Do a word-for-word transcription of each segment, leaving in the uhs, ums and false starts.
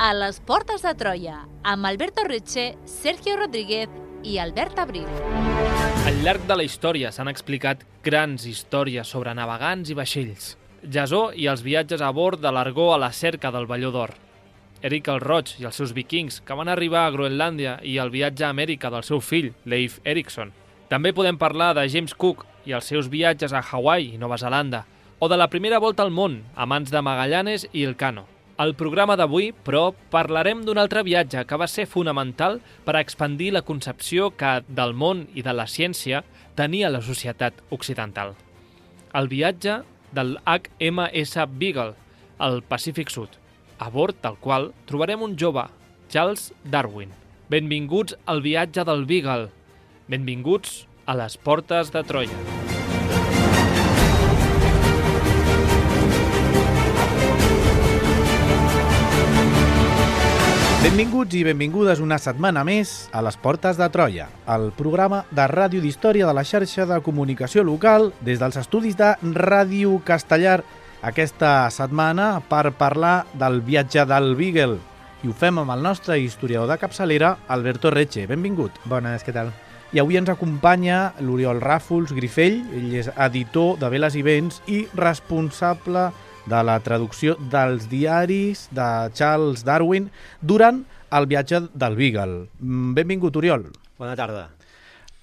a les Portes de Troia, amb Alberto Reche, Sergio Rodríguez i Albert Abril. Al llarg de la història s'han explicat grans històries sobre navegants i vaixells. Jasó i els viatges a bord de l'Argó a la cerca del Velló d'Or. Eric el Roig i els seus vikings, que van arribar a Groenlàndia, i el viatge a Amèrica del seu fill, Leif Erikson. També podem parlar de James Cook i els seus viatges a Hawaii i Nova Zelanda, o de la primera volta al món, a mans de Magallanes i Elcano. Al programa d'avui, però, parlarem d'un altre viatge que va ser fonamental per a expandir la concepció que del món i de la ciència tenia la societat occidental. El viatge del H M S Beagle, al Pacífic Sud, a bord del qual trobarem un jove, Charles Darwin. Benvinguts al viatge del Beagle. Benvinguts a les Portes de Troia. Benvinguts i benvingudes una setmana més a les Portes de Troia, el programa de ràdio d'història de la xarxa de comunicació local des dels estudis de Ràdio Castellar aquesta setmana per parlar del viatge del Beagle. I ho fem amb el nostre historiador de capçalera, Alberto Reche. Benvingut. Bones, què tal? I avui ens acompanya l'Oriol Ràfols Grifell, ell és editor de Veles i Vents i responsable de la traducció dels diaris de Charles Darwin durant el viatge del Beagle. Benvingut, Oriol. Bona tarda.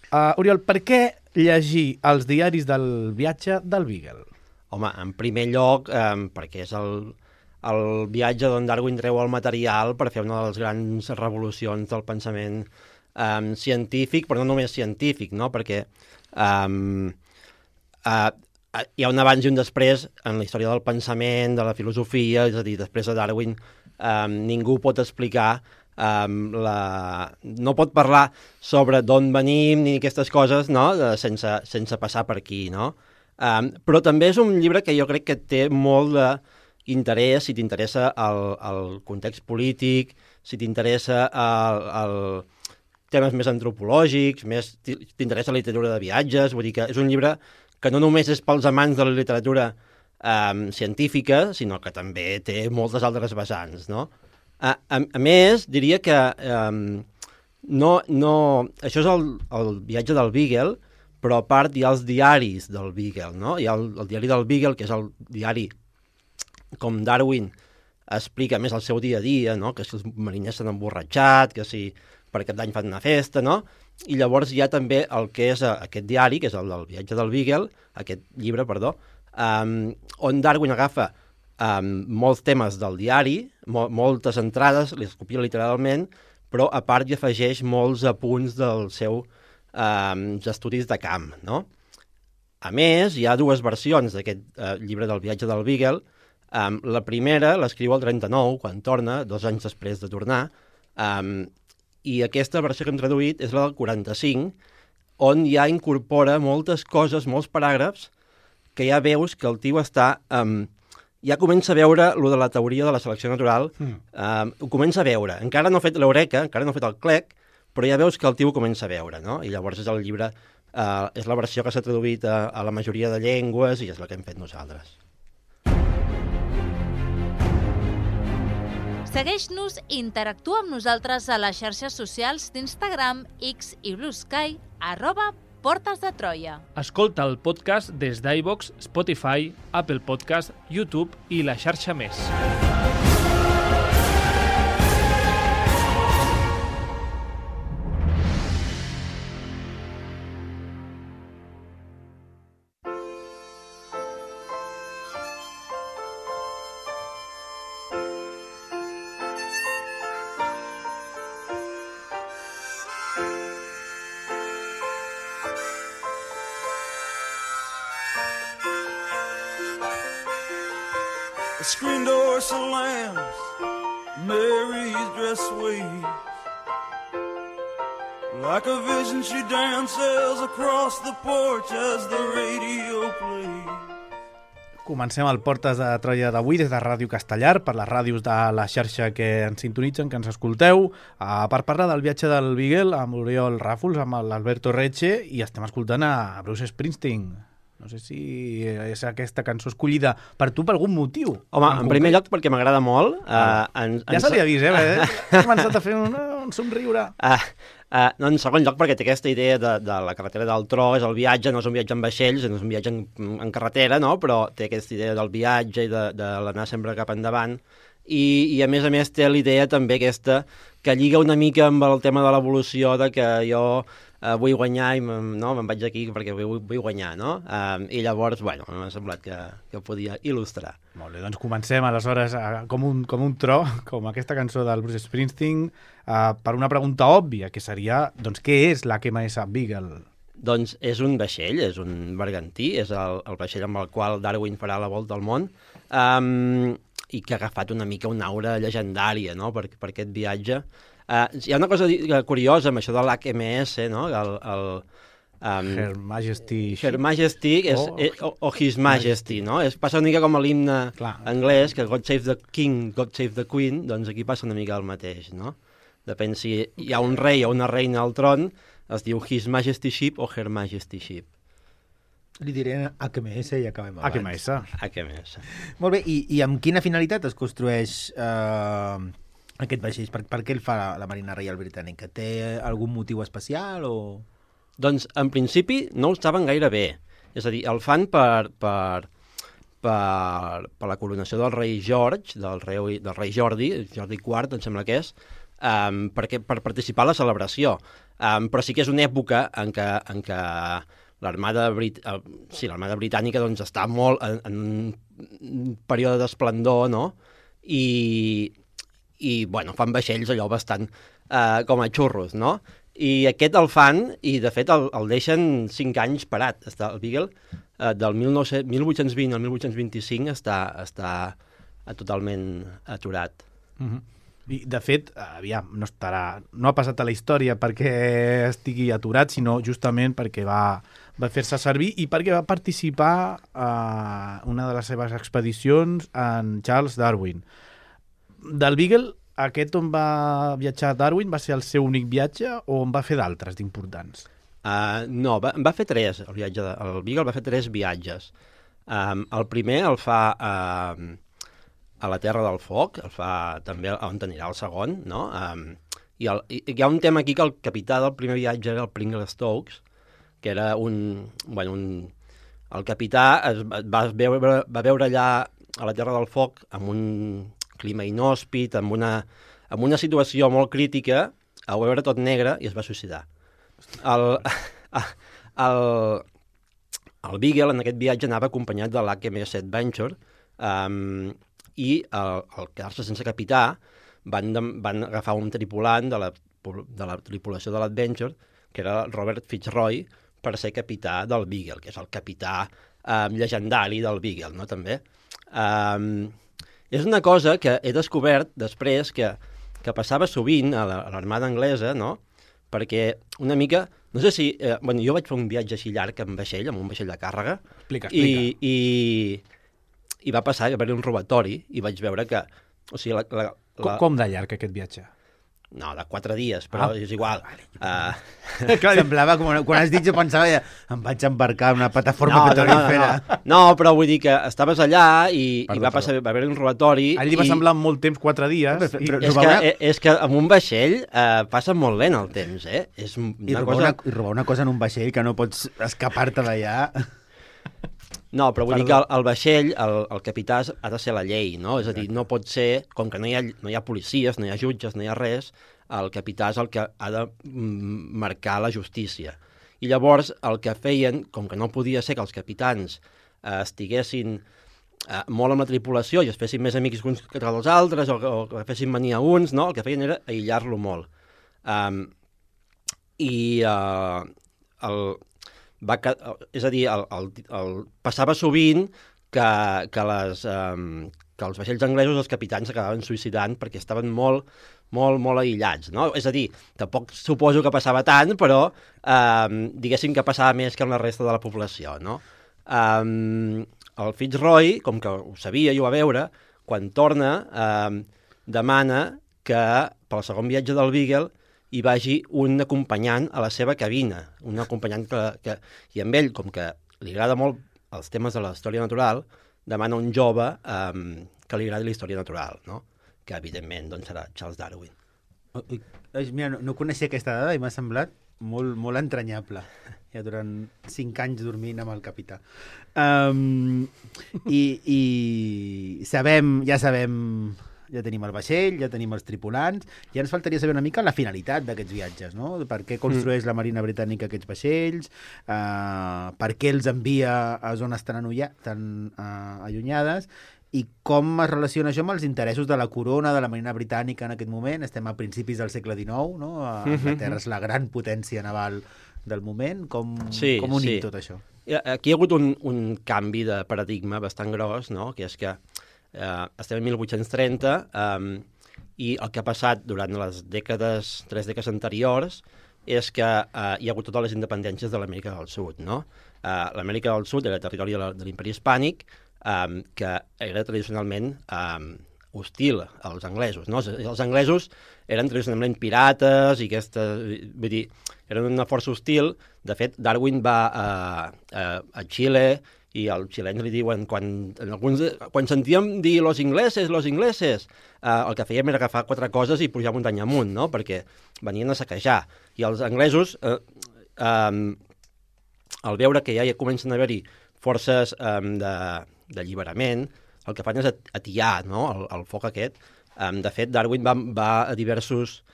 Uh, Oriol, per què llegir els diaris del viatge del Beagle? Home, en primer lloc, eh, perquè és el, el viatge d'on Darwin treu el material per fer una de les grans revolucions del pensament eh, científic, però no només científic, no? Perquè eh, eh, hi ha un abans i un després en la història del pensament, de la filosofia, és a dir, després de Darwin eh, ningú pot explicar, eh, la... no pot parlar sobre d'on venim ni aquestes coses, no? De, sense, sense passar per aquí, no? Eh, però també és un llibre que jo crec que té molt d'interès si t'interessa el, el context polític, si t'interessa el, el temes més antropològics, més t'interessa la literatura de viatges, vull dir que és un llibre que no només és pels amants de la literatura eh, científica, sinó que també té moltes altres vessants, no? A, a, a més, diria que eh, no, no, això és el, el viatge del Beagle, però a part hi ha els diaris del Beagle, no? Hi ha el, el diari del Beagle, que és el diari com Darwin explica més el seu dia a dia, no? Que si els mariners s'han emborratxat, que si per Cap d'Any fan una festa, no? I llavors hi ha també el que és aquest diari, que és el del viatge del Beagle, aquest llibre, perdó, um, on Darwin agafa um, molts temes del diari, mo moltes entrades, les copia literalment, però a part hi afegeix molts apunts dels seus um, estudis de camp, no? A més, hi ha dues versions d'aquest uh, llibre del viatge del Beagle. Um, la primera l'escriu el trenta-nou, quan torna, dos anys després de tornar, um, i aquesta versió que hem traduït és la del quaranta-cinc, on ja incorpora moltes coses, molts paràgrafs, que ja veus que el tio està... Um, ja comença a veure lo de la teoria de la selecció natural, mm. um, ho comença a veure. Encara no ha fet l'Eureka, encara no ha fet el clec, però ja veus que el tio ho comença a veure, no? I llavors és el llibre, uh, és la versió que s'ha traduït a, a la majoria de llengües i és la que hem fet nosaltres. Segueix-nos i interactua amb nosaltres a les xarxes socials d'Instagram, X i Blue Sky, arroba Portes de Troia. Escolta el podcast des d'iVoox, Spotify, Apple Podcast, YouTube i la xarxa més. The screen door slams, Mary's dress waves. Like a vision she dances across the porch as the radio plays. Comencem el Portes de Troia d'avui des de Ràdio Castellar, per les ràdios de la xarxa que ens sintonitzen, que ens escolteu, uh, per parlar del viatge del Beagle amb Oriol Ràfols, amb l'Alberto Reche, i estem escoltant a Bruce Springsteen. No sé si és aquesta cançó escollida per tu per algun motiu. Home, en, en primer lloc perquè m'agrada molt. Uh, en, ja en... se li ha vist, eh? Ha començat a fer un, un somriure. Uh, uh, no, en segon lloc perquè té aquesta idea de, de la carretera del tro, és el viatge, no és un viatge en vaixells, no és un viatge en, en carretera, no? Però té aquesta idea del viatge i de, de l'anar sempre cap endavant. I, i a més a més té l'idea també aquesta que lliga una mica amb el tema de l'evolució, de que jo uh, vull guanyar i no, me'n vaig aquí perquè vull, vull guanyar, no? Uh, I llavors, bueno, m'ha semblat que, que podia il·lustrar. Molt bé, doncs comencem aleshores uh, com, un, com un tro, com aquesta cançó del Bruce Springsteen, uh, per una pregunta òbvia, que seria, doncs, què és l'H M S Beagle? Doncs és un vaixell, és un bergantí, és el, el vaixell amb el qual Darwin farà la volta al món, um, i que ha agafat una mica una aura llegendària, no?, per, per aquest viatge. Uh, hi ha una cosa curiosa amb això de l'H M S, no?, el... el um, Her Majesty... Her Majesty és, o, és, o, o His Majesty, no? És, passa una mica com a l'himne anglès, que God Save the King, God Save the Queen, doncs aquí passa una mica el mateix, no? Depèn si hi ha un rei o una reina al tron, es diu His Majesty Ship o Her Majesty Ship. Li diré H M S i acabem abans. H M S. H M S. Molt bé, i, i amb quina finalitat es construeix eh, aquest vaixell? Per, per què el fa la, la Marina Reial Britànica? Té algun motiu especial o...? Doncs, en principi, no ho saben gaire bé. És a dir, el fan per, per, per, per la coronació del rei George, del rei, del rei Jordi, Jordi quart, em sembla que és, um, perquè, per participar a la celebració. Um, però sí que és una època en què, en què l'armada Brit... uh, sí, l'armada britànica doncs, està molt en, en un període d'esplendor, no? I, i bueno, fan vaixells allò bastant uh, com a xurros, no? I aquest el fan, i de fet el, el deixen cinc anys parat. Està, el Beagle, uh, del mil vuit-cents vint al mil vuit-cents vint-i-cinc, està, està uh, totalment aturat. Mm-hmm. I, de fet, aviam, no estarà, no ha passat a la història perquè estigui aturat, sinó justament perquè va, va fer-se servir i perquè va participar a una de les seves expedicions en Charles Darwin. Del Beagle, aquest on va viatjar Darwin va ser el seu únic viatge o en va fer d'altres d'importants? Uh, no, va, va fer tres, el, viatge de, el Beagle va fer tres viatges. Um, el primer el fa... Uh, a la Terra del Foc, el fa també on anirà el segon, no? Um, i, el, i hi ha un tema aquí que el capità del primer viatge era el Pringle Stokes, que era un... Bueno, un el capità es va veure, va veure allà a la Terra del Foc amb un clima inhòspit, amb una, amb una situació molt crítica, a veure tot negre i es va suïcidar. El, el, el Beagle en aquest viatge anava acompanyat de l'H M S Adventure, um, i al, al quedar-se sense capità van, de, van agafar un tripulant de la, de la tripulació de l'Adventure, que era Robert Fitzroy, per ser capità del Beagle, que és el capità um, llegendari del Beagle, no, també. Um, és una cosa que he descobert després que, que passava sovint a l'armada anglesa, no?, perquè una mica... No sé si... Eh, bueno, jo vaig fer un viatge així llarg amb vaixell, amb un vaixell de càrrega. Explica, explica. I... i I va passar que va haver un robatori i vaig veure que... O sigui, la, la, la... Com, com de llarg aquest viatge? No, de quatre dies, però ah, és igual. Uh... Semblava, com quan has dit, jo pensava, ja, em vaig embarcar en una plataforma no, petrolífera. No, no, no. no, però vull dir que estaves allà i, perdó, i va passar, va haver un robatori... A ell li va i... semblar molt temps, quatre dies. Però, però, i... és, que, és que amb un vaixell uh, passa molt lent el temps, eh? És una I, robar cosa... una, I robar una cosa en un vaixell que no pots escapar-te d'allà... No, però vull Perdó. dir que el, el vaixell, el, el capità ha de ser la llei, no? És a dir, no pot ser, com que no hi ha, no hi ha policies, no hi ha jutges, no hi ha res, el capità és el que ha de marcar la justícia. I llavors el que feien, com que no podia ser que els capitans eh, estiguessin eh, molt amb la tripulació i es fessin més amics uns que els altres o, o que fessin venir a uns, no? El que feien era aïllar-lo molt. Um, I uh, el... Va, és a dir, el, el, el, passava sovint que, que, les, um, que els vaixells anglesos, els capitans s'acabaven suïcidant perquè estaven molt, molt, molt aïllats, no? És a dir, tampoc suposo que passava tant, però um, diguéssim que passava més que en la resta de la població, no? Um, el Fitzroy, com que ho sabia i ho va veure, quan torna, um, demana que pel segon viatge del Beagle hi vagi un acompanyant a la seva cabina, un acompanyant que, que... I amb ell, com que li agrada molt els temes de la història natural, demana un jove um, que li agradi la història natural, no? Que evidentment doncs, serà Charles Darwin. Oh, mira, no, no coneixia aquesta dada i m'ha semblat molt, molt entranyable. Ja durant cinc anys dormint amb el capità. Um, i, I sabem, ja sabem... Ja tenim el vaixell, ja tenim els tripulants, ja ens faltaria saber una mica la finalitat d'aquests viatges, no? Per què construeix mm. la Marina Britànica aquests vaixells, uh, per què els envia a zones tan, anulla, tan uh, allunyades, i com es relaciona això amb els interessos de la corona de la Marina Britànica en aquest moment. Estem a principis del segle dinou, no? Anglaterra és la gran potència naval del moment. Com, sí, com unim sí. tot això? Aquí hi ha hagut un, un canvi de paradigma bastant gros, no? Que és que Uh, estem en mil vuit-cents trenta um, i el que ha passat durant les dècades, tres dècades anteriors és que uh, hi ha hagut totes les independències de l'Amèrica del Sud, no? Uh, L'Amèrica del Sud era territori de l'imperi hispànic um, que era tradicionalment um, hostil als anglesos, no? Els anglesos eren tradicionalment pirates i aquesta, vull dir, eren una força hostil. De fet, Darwin va a, a, a Xile i als xilens li diuen, quan, en alguns, quan sentíem dir los ingleses, los ingleses, eh, el que fèiem era agafar quatre coses i pujar muntanya amunt, no? Perquè venien a saquejar. I els anglesos, eh, eh, al veure que ja hi comencen a haver-hi forces eh, de, d'alliberament, el que fan és atiar, no? el, el foc aquest. Eh, de fet, Darwin va, va a diversos...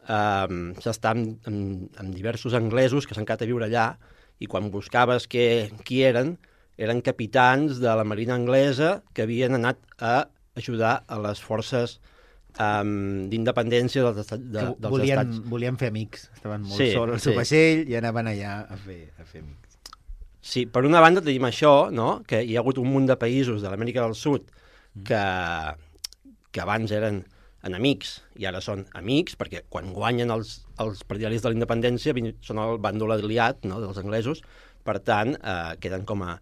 Eh, s'està amb, amb, amb diversos anglesos que s'han quedat a viure allà i quan buscaves que, qui eren, eren capitans de la marina anglesa que havien anat a ajudar a les forces um, d'independència dels, estat, de, dels volien, estats. Volien fer amics, estaven molt sí, sols al seu sí. vaixell i anaven allà a fer, a fer amics. Sí, per una banda tenim això, no? Que hi ha hagut un munt de països de l'Amèrica del Sud que, que abans eren enemics i ara són amics, perquè quan guanyen els, els partidaris de la independència són el bàndol aliat, no? Dels anglesos, per tant, eh, queden com a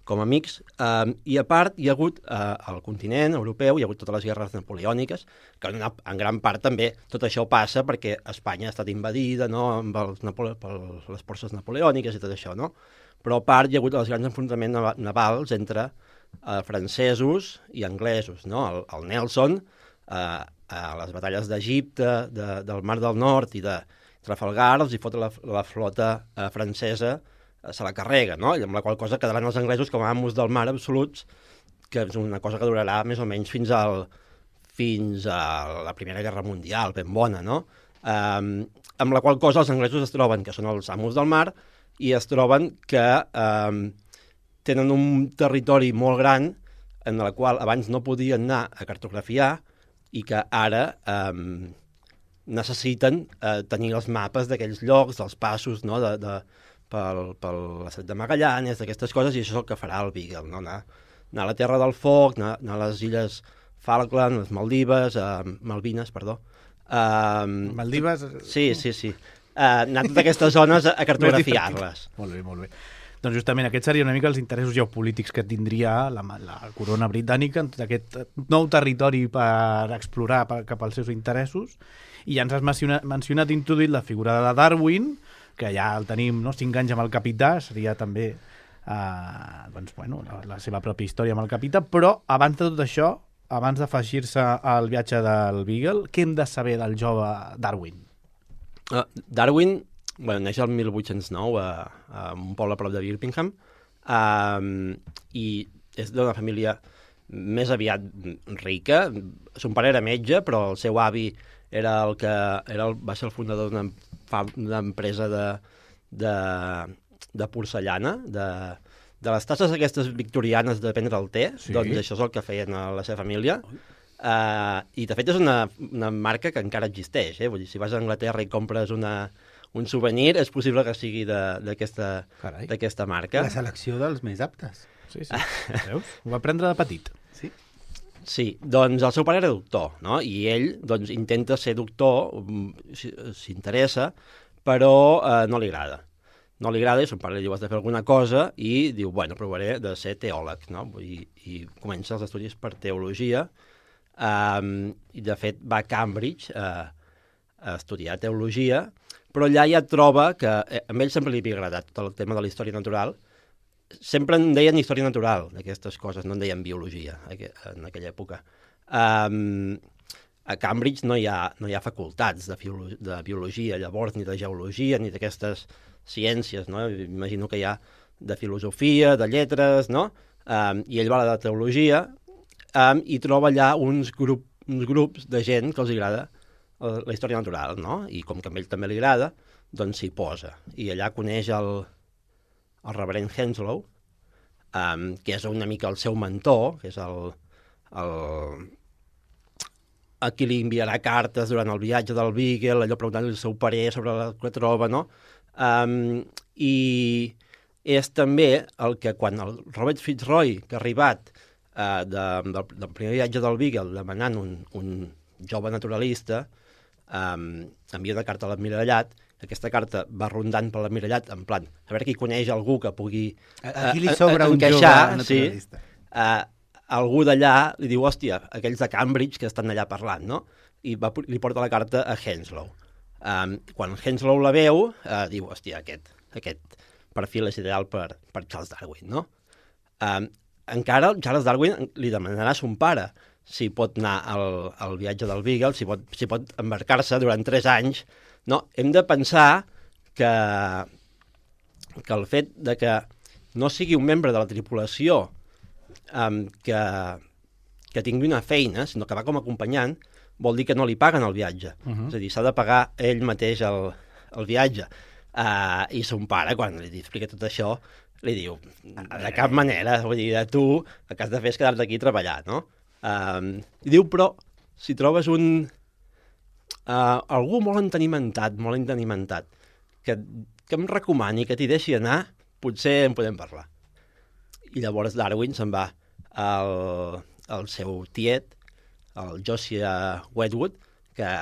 com a amics, um, i a part hi ha hagut uh, al continent europeu, hi ha hagut totes les guerres napoleòniques, que en, una, en gran part també tot això passa perquè Espanya ha estat invadida, no?, amb els Napole per les forces napoleòniques i tot això, no? Però a part hi ha hagut els grans enfrontaments navals entre uh, francesos i anglesos, no? El, el Nelson, uh, a les batalles d'Egipte, de, del Mar del Nord i de Trafalgar, els hi fot la, la flota uh, francesa, se la carrega, no? I amb la qual cosa quedaran els anglesos com a amos del mar absoluts, que és una cosa que durarà més o menys fins, al, fins a la Primera Guerra Mundial, ben bona, no? Um, amb la qual cosa els anglesos es troben que són els amos del mar i es troben que um, tenen un territori molt gran en el qual abans no podien anar a cartografiar i que ara um, necessiten uh, tenir els mapes d'aquells llocs, dels passos, no?, de... de pel, pel l'estret de Magallanes, d'aquestes coses, i això és el que farà el Beagle, no? Anar, anar a la Terra del Foc, anar, anar a les illes Falkland, les Maldives, uh, Malvines, perdó. Uh, Maldives... Sí, sí, sí. Uh, anar a totes aquestes zones a, a cartografiar-les. Molt bé, molt bé. Doncs justament aquests serien una mica els interessos geopolítics que tindria la, la corona britànica en tot aquest nou territori per explorar per, cap als seus interessos. I ja ens has mencionat, mencionat introduït la figura de Darwin, que ja el tenim, no?, cinc anys amb el capità, seria també eh, doncs, bueno, la, la seva pròpia història amb el capità, però abans de tot això, abans d'afegir-se al viatge del Beagle, què hem de saber del jove Darwin? Uh, Darwin, bueno, neix el mil vuit-cents nou a, a un poble a prop de Birmingham, um, i és d'una família més aviat rica. Son pare era metge, però el seu avi era el que era el, va ser el fundador d'una una empresa de, de, de porcellana, de, de les tasses aquestes victorianes de prendre el té, sí. Doncs això és el que feien a la seva família. Uh, I de fet és una, una marca que encara existeix, eh? Vull dir, si vas a Anglaterra i compres una, un souvenir, és possible que sigui d'aquesta marca. La selecció dels més aptes. Sí, sí. Veus? Ho va prendre de petit. Sí. Sí, doncs el seu pare era doctor, no? I ell doncs, intenta ser doctor, s'interessa, però eh, no li agrada. No li agrada i son pare li diu has de fer alguna cosa i diu, bueno, provaré de ser teòleg, no? I, i comença els estudis per teologia um, i de fet va a Cambridge uh, a estudiar teologia, però allà ja troba que eh, a ell sempre li havia agradat tot el tema de la història natural sempre en deien història natural, d'aquestes coses, no en deien biologia en aquella època. Um, a Cambridge no hi ha, no hi ha facultats de, de biologia, llavors, ni de geologia, ni d'aquestes ciències, no? Imagino que hi ha de filosofia, de lletres, no? Um, I ell va a la de teologia um, i troba allà uns, grup, uns grups de gent que els agrada la història natural, no? I com que a ell també li agrada, doncs s'hi posa. I allà coneix el, el reverend Henslow, um, que és una mica el seu mentor, que és el, el, a qui li enviarà cartes durant el viatge del Beagle, allò preguntant-li el seu parer sobre el que troba, no? Um, I és també el que quan el Robert Fitzroy, que ha arribat uh, de, del, del primer viatge del Beagle demanant un, un jove naturalista, um, envia una carta a l'Almirallat. Aquesta carta va rondant per l'Almirallat en plan, a veure qui coneix algú que pugui uh, aquí li sobra un encaixar, jove naturalista. Sí, uh, algú d'allà li diu, hòstia, aquells de Cambridge que estan allà parlant, no? I va, li porta la carta a Henslow. Um, quan Henslow la veu, uh, diu, hòstia, aquest, aquest perfil és ideal per, per Charles Darwin, no? Um, encara Charles Darwin li demanarà a son pare si pot anar al, al viatge del Beagle, si pot, si pot embarcar-se durant tres anys. No, hem de pensar que, que el fet de que no sigui un membre de la tripulació um, que, que tingui una feina, sinó que va com a acompanyant, vol dir que no li paguen el viatge. Uh-huh. És a dir, s'ha de pagar ell mateix el, el viatge. Uh, I son pare, quan li explica tot això, li diu, de cap manera, vull dir, tu el que has de fer és quedar-te aquí a treballar, no? Uh, I diu, però, si trobes un... Uh, algú molt entenimentat, molt entenimentat, que, que em recomani, que t'hi deixi anar, potser en podem parlar. I llavors Darwin se'n va al, al seu tiet, el Josiah Wedgwood, que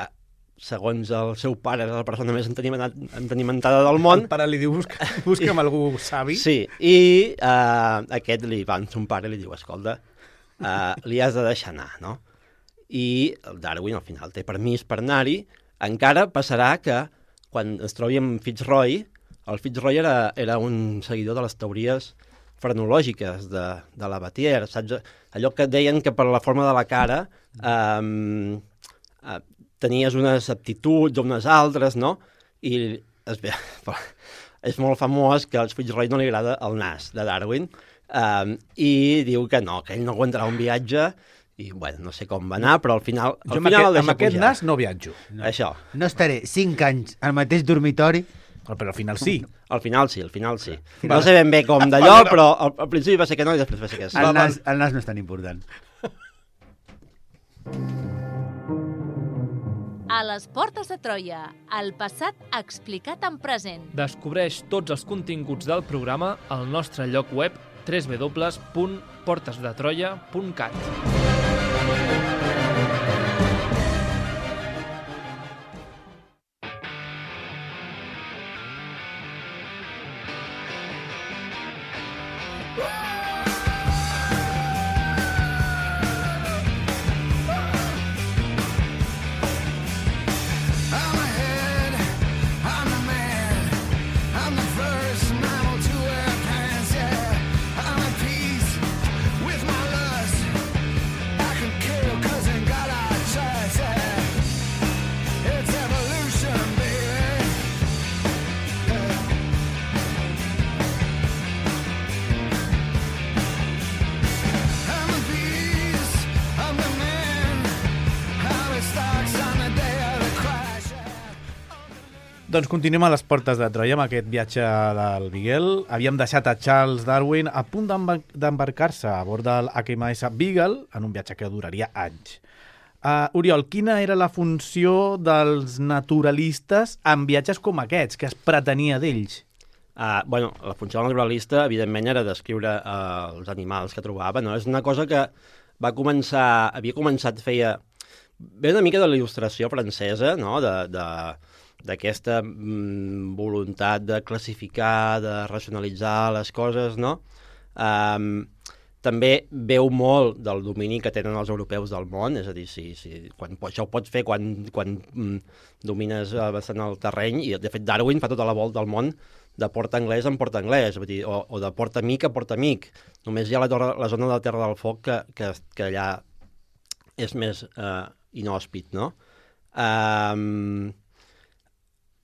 segons el seu pare era la persona més entenimentada del món. El pare li diu, busca, busca'm algú savi. Sí, i uh, aquest li va amb son pare i li diu, escolta, uh, li has de deixar anar, no? I el Darwin al final té permís per anar-hi. Encara passarà que quan es trobi amb Fitzroy, el Fitzroy era, era un seguidor de les teories frenològiques de, de la Batier, saps? Allò que deien que per la forma de la cara um, uh, tenies unes aptituds o unes altres, no? I es ve, és molt famós que al Fitzroy no li agrada el nas de Darwin um, i diu que no, que ell no aguantarà un viatge i, bueno, no sé com va anar, però al final, al jo final aquest, el deixa amb aquest pujar. nas no viatjo. No. Això. No estaré cinc anys al mateix dormitori. Però al final sí. Al final sí, al final sí. Final... No sé ben bé com d'allò, però al, al principi va ser que no i després va ser que sí. El nas, el nas no és tan important. A les portes de Troia, el passat explicat en present. Descobreix tots els continguts del programa al nostre lloc web w w w punt portes de troia punt cat. Doncs continuem a les portes de Troia amb aquest viatge del Beagle. Havíem deixat a Charles Darwin a punt d'embarcar-se a bord del H M S Beagle en un viatge que duraria anys. Uh, Oriol, quina era la funció dels naturalistes en viatges com aquests, que es pretenia d'ells? Uh, bueno, la funció del naturalista, evidentment, era descriure uh, els animals que trobava, no? És una cosa que va començar, havia començat, feia... Ve una mica de la il·lustració francesa, no?, de... de d'aquesta mm, voluntat de classificar, de racionalitzar les coses, no? Um, també veu molt del domini que tenen els europeus del món, és a dir, si, si, quan, això ho pots fer quan, quan mm, domines bastant el terreny, i de fet Darwin fa tota la volta al món de port anglès en port anglès, vull dir, o, o de port amic a port amic. Només hi ha la, torre, la zona de la Terra del Foc que, que, que allà és més eh, inhòspit, no? Um,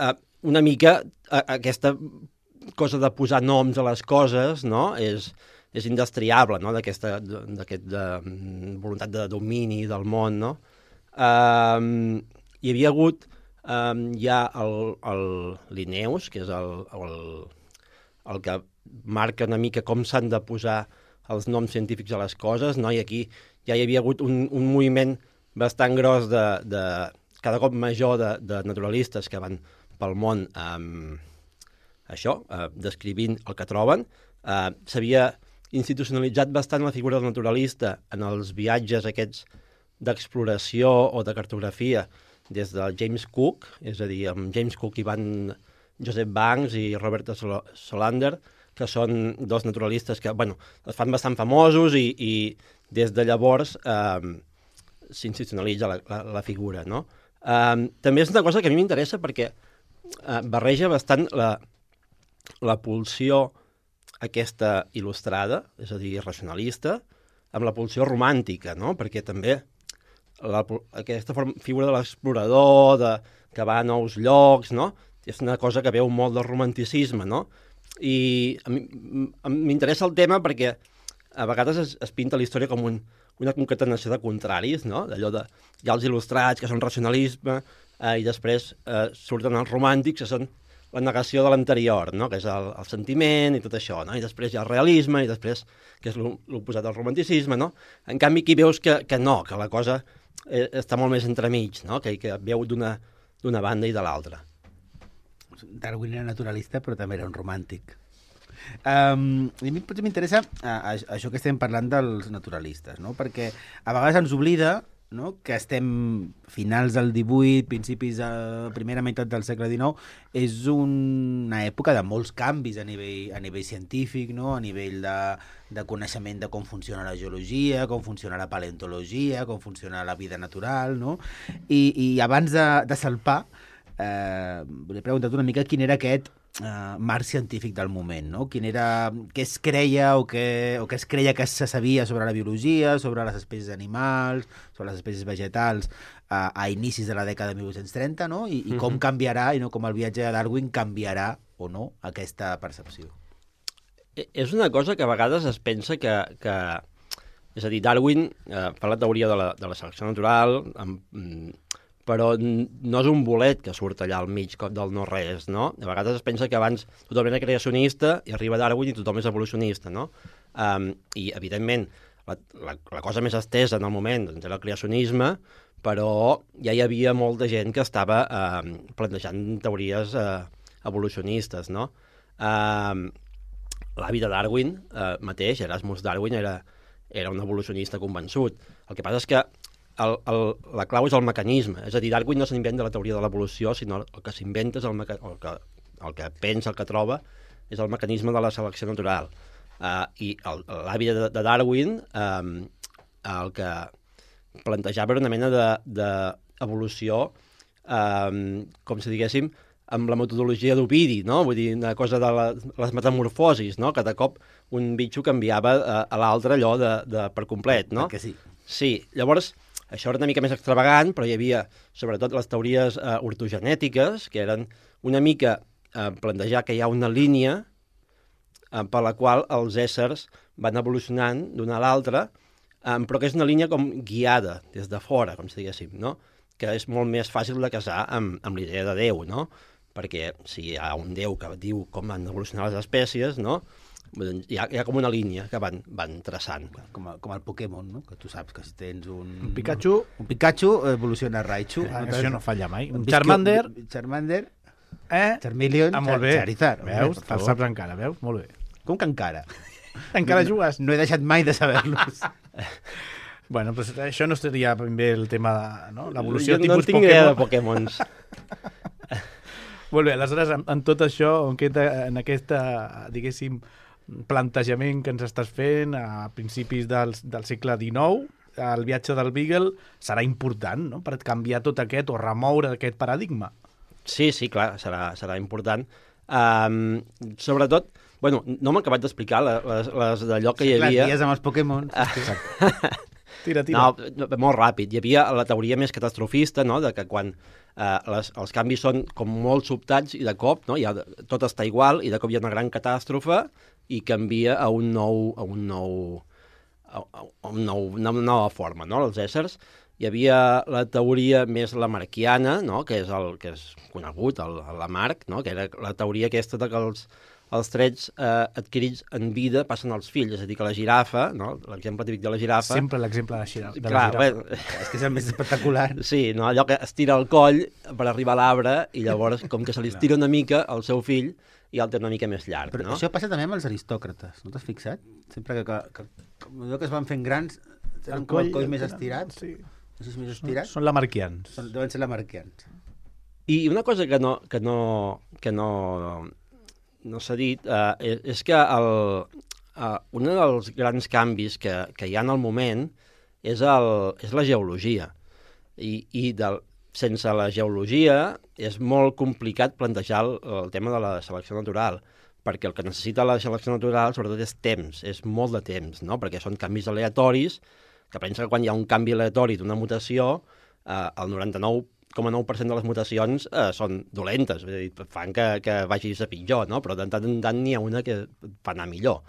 uh, una mica uh, aquesta cosa de posar noms a les coses, no?, és, és indestriable, no?, d'aquesta d'aquest de, voluntat de domini del món, no? Um, hi havia hagut um, ja el, el Linnaeus, que és el, el, el que marca una mica com s'han de posar els noms científics a les coses, no? I aquí ja hi havia hagut un, un moviment bastant gros de, de cada cop major de, de naturalistes que van pel món um, això, uh, descrivint el que troben. Uh, s'havia institucionalitzat bastant la figura del naturalista en els viatges aquests d'exploració o de cartografia des de James Cook, és a dir, amb James Cook hi van Joseph Banks i Robert Solander, que són dos naturalistes que, bueno, es fan bastant famosos i, i des de llavors eh, s'institucionalitza la, la, la figura, no? Eh, també és una cosa que a mi m'interessa perquè eh, barreja bastant la, la pulsió aquesta il·lustrada, és a dir, racionalista, amb la pulsió romàntica, no? Perquè també la, aquesta forma, figura de l'explorador, de, que va a nous llocs, no? És una cosa que veu molt del romanticisme, no? I a mi m'interessa el tema perquè a vegades es, es pinta la història com un, una concatenació de contraris, no? D'allò de, hi ha els il·lustrats, que són racionalisme, eh, i després eh, surten els romàntics, que són la negació de l'anterior, no? Que és el, el sentiment i tot això, no? I després hi ha el realisme, i després, que és l'oposat al romanticisme, no? En canvi, aquí veus que, que no, que la cosa eh, està molt més entremig, no? Que, que veu d'una d'una banda i de l'altra. Darwin era naturalista, però també era un romàntic. Um, a mi potser m'interessa uh, això que estem parlant dels naturalistes, no? Perquè a vegades ens oblida, no?, que estem finals del divuit, principis de la primera meitat del segle dinou, és una època de molts canvis a nivell, a nivell científic, no?, a nivell de, de coneixement de com funciona la geologia, com funciona la paleontologia, com funciona la vida natural, no? I, i abans de, de salpar, eh, volia preguntar una mica quin era aquest Uh, marc científic del moment, no? Quin era, què es creia o què, o què es creia que se sabia sobre la biologia, sobre les espècies animals, sobre les espècies vegetals uh, a inicis de la dècada de mil vuit-cents trenta, no? I, i com canviarà, i no com el viatge de Darwin canviarà o no aquesta percepció. És una cosa que a vegades es pensa que... que és a dir, Darwin eh, fa la teoria de la, de la selecció natural, amb, però no és un bolet que surt allà al mig del no-res, no? A vegades es pensa que abans tothom era creacionista i arriba Darwin i tothom és evolucionista, no? Um, I, evidentment, la, la, la cosa més estesa en el moment doncs, era el creacionisme, però ja hi havia molta gent que estava um, plantejant teories uh, evolucionistes, no? Um, L'avi de Darwin uh, mateix, Erasmus Darwin, era, era un evolucionista convençut. El que passa és que El, el, la clau és el mecanisme. És a dir, Darwin no s'inventa la teoria de l'evolució, sinó el que s'inventa és el, meca... el, que, el que pensa, el que troba, és el mecanisme de la selecció natural. Uh, I l'avi de, de Darwin um, el que plantejava era una mena d'evolució, de, um, com si diguéssim, amb la metodologia d'Ovidi, no? Vull dir, una cosa de la, les metamorfosis, no? Que de cop un bitxo canviava a, a l'altre allò de, de per complet, no? Perquè sí. Sí, llavors... Això era una mica més extravagant, però hi havia, sobretot, les teories eh, ortogenètiques, que eren una mica eh, plantejar que hi ha una línia eh, per la qual els éssers van evolucionant d'una a l'altra, eh, però que és una línia com guiada des de fora, com si diguéssim, no? Que és molt més fàcil de casar amb, amb l'idea de Déu, no? Perquè si hi ha un Déu que diu com han evolucionat les espècies, no? Hi ha, hi ha com una línia que van, van traçant. Com, a, com el Pokémon, no? Que tu saps que si tens un... Un Pikachu... Un Pikachu evoluciona a Raichu. Ah, això no falla mai. Un Visqui- Charmander... Charmander, Eh? Charmeleon, Ah, molt bé. Charizard. Veus? Per Te'l favor. saps encara, veus? Molt bé. Com que encara? Encara no, jugues? No he deixat mai de saber-los. Bueno, pues això no seria ben bé el tema de no? l'evolució Jo tipus no tinc idea de Pokémon. Pokémons. Molt bé, aleshores, en, en tot això, en aquesta, en aquesta, diguéssim, plantejament que ens estàs fent a principis del, del segle dinou, el viatge del Beagle serà important, no?, per canviar tot aquest o remoure aquest paradigma. Sí, sí, clar, serà, serà important. Um, sobretot, bueno, no m'he acabat d'explicar les, les d'allò que sí, hi havia... Clar, dies amb els Pokémon. Tira, tira. No, molt ràpid. Hi havia la teoria més catastrofista, no?, de que quan eh, les, els canvis són com molt sobtats i de cop, no?, ja, tot està igual i de cop hi ha una gran catàstrofe i canvia a un nou, a un nou, a, a un nou, una nova forma, no?, els éssers. Hi havia la teoria més lamarquiana, no?, que és el que és conegut, el, el Lamarck, no?, que era la teoria aquesta de que els, els trets eh, adquirits en vida passen als fills, és a dir, que la girafa, no?, l'exemple típic de la girafa... Sempre l'exemple de la girafa. Clar, bé, és que és el més espectacular. Sí, no? Allò que estira el coll per arribar a l'arbre i llavors, com que se li estira una mica al seu fill, i el té una mica més llarg, Però no? això passa també amb els aristòcrates, no t'has fixat? Sempre que, que, que, que es van fent grans, tenen el coll, coll més estirat, sí. no sé si més estirat, Són lamarquians. són, deuen ser lamarquians. I una cosa que no, que no, que no, no s'ha dit eh, és, és que el, eh, un dels grans canvis que, que hi ha en el moment és, el, és la geologia. I, i del, sense la geologia és molt complicat plantejar el, el tema de la selecció natural, perquè el que necessita la selecció natural sobretot és temps, és molt de temps, no? Perquè són canvis aleatoris, que pensa que quan hi ha un canvi aleatori d'una mutació, eh, el noranta-nou coma nou per cent de les mutacions eh, són dolentes, és a dir, fan que, que vagis a pitjor, no? Però de tant en tant n'hi ha una que fa anar millor,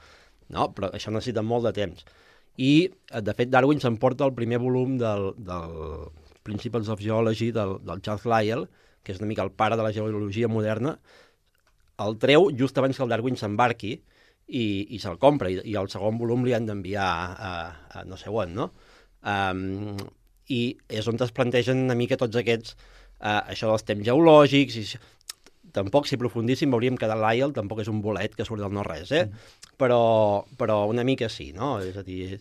no? Però això necessita molt de temps. I, de fet, Darwin s'emporta el primer volum del, del Principles of Geology del, del Charles Lyell, que és una mica el pare de la geologia moderna, el treu just abans que el Darwin s'embarqui i, i se'l compra, i, i el segon volum li han d'enviar a, a, a no sé on, no? Um, I és on es plantegen una mica tots aquests, uh, això dels temps geològics, i tampoc si aprofundíssim veuríem que de Lyell tampoc és un bolet que surt del no-res, eh? Mm. Però, però una mica sí, no? És a dir,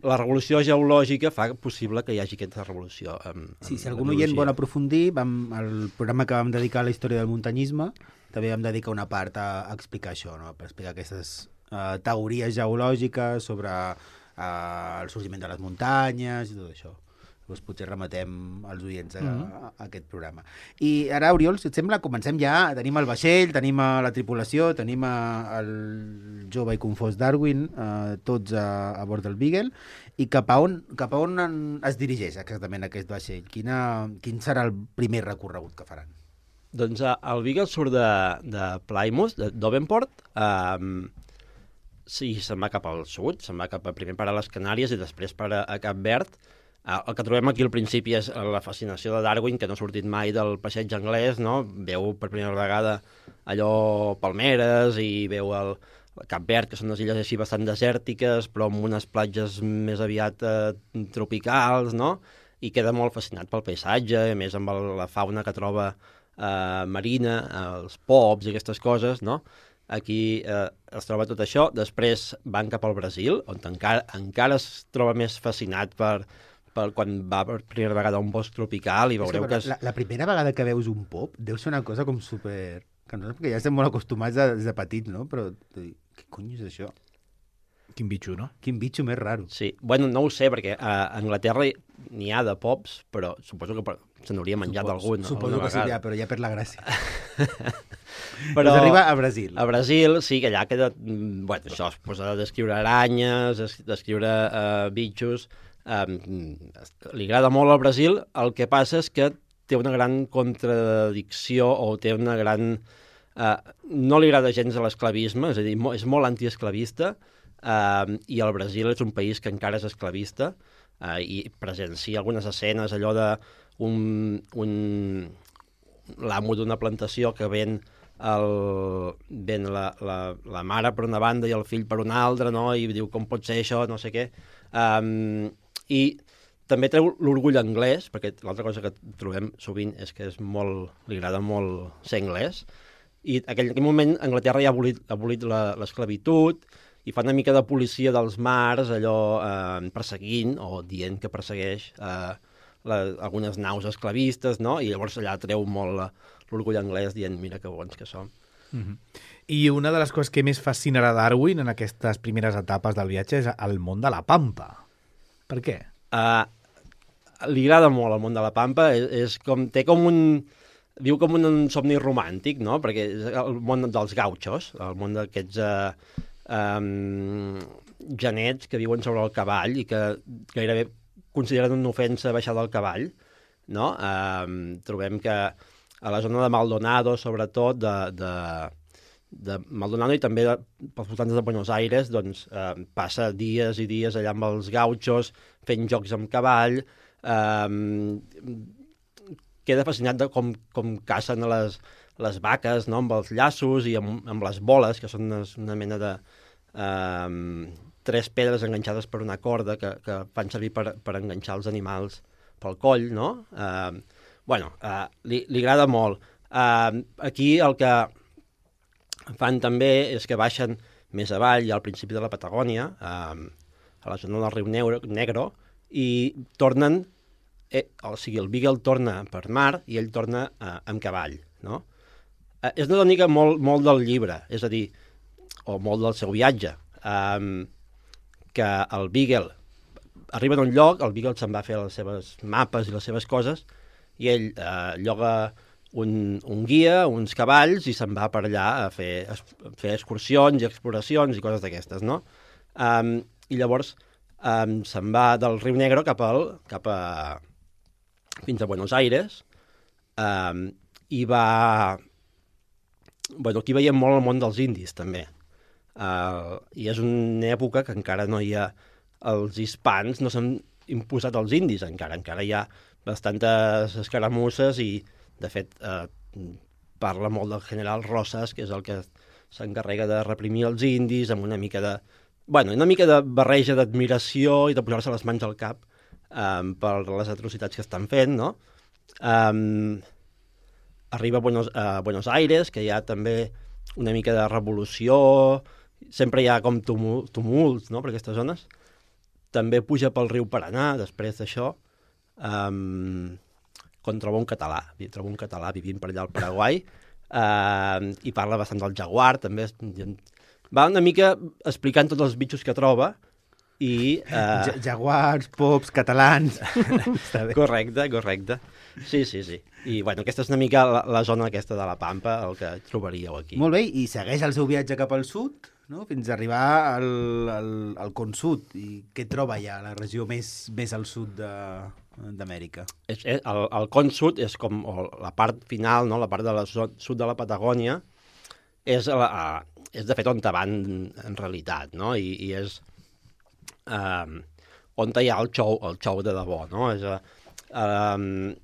la revolució geològica fa possible que hi hagi aquesta revolució. Amb, Sí, amb si algun oient vol aprofundir, vam, el programa que vam dedicar a la història del muntanyisme, també vam dedicar una part a, a explicar això, no? Per explicar aquestes uh, teories geològiques sobre uh, el sorgiment de les muntanyes i tot això. Llavors potser remetem els oients a, a, a aquest programa. I ara, Oriol, si et sembla, comencem ja. Tenim el vaixell, tenim a la tripulació, tenim a, el jove i confós Darwin, eh, tots a, a bord del Beagle, i cap a on, cap a on en, es dirigeix exactament aquest vaixell? Quina, quin serà el primer recorregut que faran? Doncs uh, el Beagle surt de, de Plymouth, de Devonport, um, sí, se'n va cap al sud, se'n va cap a, primer per a les Canàries i després per a, a Cap Verd. El que trobem aquí al principi és la fascinació de Darwin, que no ha sortit mai del passeig anglès, no? Veu per primera vegada allò palmeres i veu el, el Cap Verd, que són unes illes així bastant desèrtiques, però amb unes platges més aviat eh, tropicals, no? I queda molt fascinat pel paisatge, a més amb el, la fauna que troba eh, marina, els pops i aquestes coses, no? Aquí eh, es troba tot això. Després van cap al Brasil, on encara, encara es troba més fascinat per... per quan va per primera vegada a un bosc tropical i veureu que... És... La, la primera vegada que veus un pop deu ser una cosa com super... Que no, perquè ja estem molt acostumats a, des de petits, no? Però, què cony és això? Quin bitxo, no? Quin bitxo més raro. Sí, bueno, no ho sé, perquè a Anglaterra n'hi ha de pops, però suposo que se n'hauria menjat algun. Suposo que sí, ja, però ja per la gràcia. Però pues arriba a Brasil. A Brasil, sí, que allà queda... Bueno, això es posa a descriure aranyes, a descriure uh, bitxos... Um, li agrada molt al Brasil, el que passa és que té una gran contradicció o té una gran... Uh, no li agrada gens a l'esclavisme, és a dir, mo és molt antiesclavista, uh, i el Brasil és un país que encara és esclavista, uh, i presencia algunes escenes, allò de un, un l'amo d'una plantació que ven, el, ven la, la, la mare per una banda i el fill per una altra, no? I diu com pot ser això, no sé què. Um, I també treu l'orgull anglès, perquè l'altra cosa que trobem sovint és que és molt, li agrada molt ser anglès, i en aquell, aquell moment Anglaterra ja ha abolit, ha abolit l'esclavitud i fa una mica de policia dels mars, allò eh, perseguint o dient que persegueix eh, la, algunes naus esclavistes, no? I llavors allà treu molt l'orgull anglès dient mira que bons que som. Mm-hmm. I una de les coses que més fascinarà Darwin en aquestes primeres etapes del viatge és el món de la pampa. Per què? Uh, li agrada molt el món de la pampa, és, és com, té com un... viu com un somni romàntic, no? Perquè és el món dels gauchos, el món d'aquests eh, um, genets que viuen sobre el cavall i que gairebé consideren una ofensa baixar del cavall, no? Um, trobem que a la zona de Maldonado, sobretot, de, de, de Maldonado i també de, pels voltants de Buenos Aires, doncs eh, passa dies i dies allà amb els gauchos, fent jocs amb cavall, eh, queda fascinat de com, com cacen a les, les vaques, no?, amb els llaços i amb, amb les boles, que són unes, una mena de eh, tres pedres enganxades per una corda que, que fan servir per, per enganxar els animals pel coll, no? Eh, bueno, eh, li, li agrada molt. Eh, aquí el que fan també és que baixen més avall, al principi de la Patagònia, eh, a la zona del riu Negro, Negro i tornen, eh, o sigui, el Beagle torna per mar i ell torna eh, amb cavall, no? Eh, és una tònica molt, molt del llibre, és a dir, o molt del seu viatge, eh, que el Beagle arriba a un lloc, el Beagle se'n va a fer les seves mapes i les seves coses, i ell eh, lloga un, un guia, uns cavalls, i se'n va per allà a fer, a fer excursions i exploracions i coses d'aquestes, no? Um, I llavors um, se'n va del riu Negro cap, al, cap a... fins a Buenos Aires, um, i va... Bueno, aquí veiem molt el món dels indis, també. Uh, I és una època que encara no hi ha... Els hispans no s'han imposat als indis encara, encara hi ha bastantes escaramusses i, de fet, eh, parla molt del general Rosas, que és el que s'encarrega de reprimir els indis amb una mica de... Bueno, una mica de barreja d'admiració i de posar-se les mans al cap eh, per les atrocitats que estan fent, no? Um, arriba a Buenos, a Buenos Aires, que hi ha també una mica de revolució, sempre hi ha com tumul, tumults, no?, per aquestes zones. També puja pel riu Paranà, després d'això, um, quan troba un català. Troba un català vivint per allà al Paraguai, uh, i parla bastant del jaguar, també. Va una mica explicant tots els bitxos que troba, i... Uh... Jaguars, pops, catalans... correcte, correcte. Sí, sí, sí. I, bueno, aquesta és una mica la, la zona aquesta de la Pampa, el que trobaríeu aquí. Molt bé, i segueix el seu viatge cap al sud, no?, fins a arribar al, al, al Con Sud. I què troba ja la regió més, més al sud d'Amèrica? El, el Con Sud és com la part final, no?, la part de la sud de la Patagònia, és, la, és de fet on te van en realitat, no?, i, i és um, on hi ha el xou, el xou de debò, no? És, um,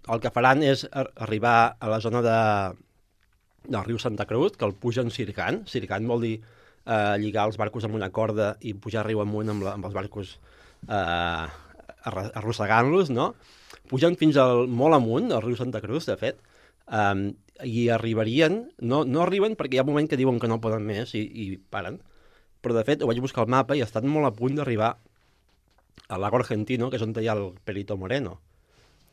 el que faran és arribar a la zona de, del riu Santa Cruz, que el pugen circant. Circant vol dir eh, lligar els barcos amb una corda i pujar riu amunt amb, la, amb els barcos eh, arrossegant-los, no? Pugen fins al molt amunt, al riu Santa Cruz, de fet, eh, i arribarien... No, no arriben perquè hi ha un moment que diuen que no poden més i, i paren, però de fet ho vaig buscar al mapa i estan molt a punt d'arribar al lago Argentino, que és on hi ha el Perito Moreno,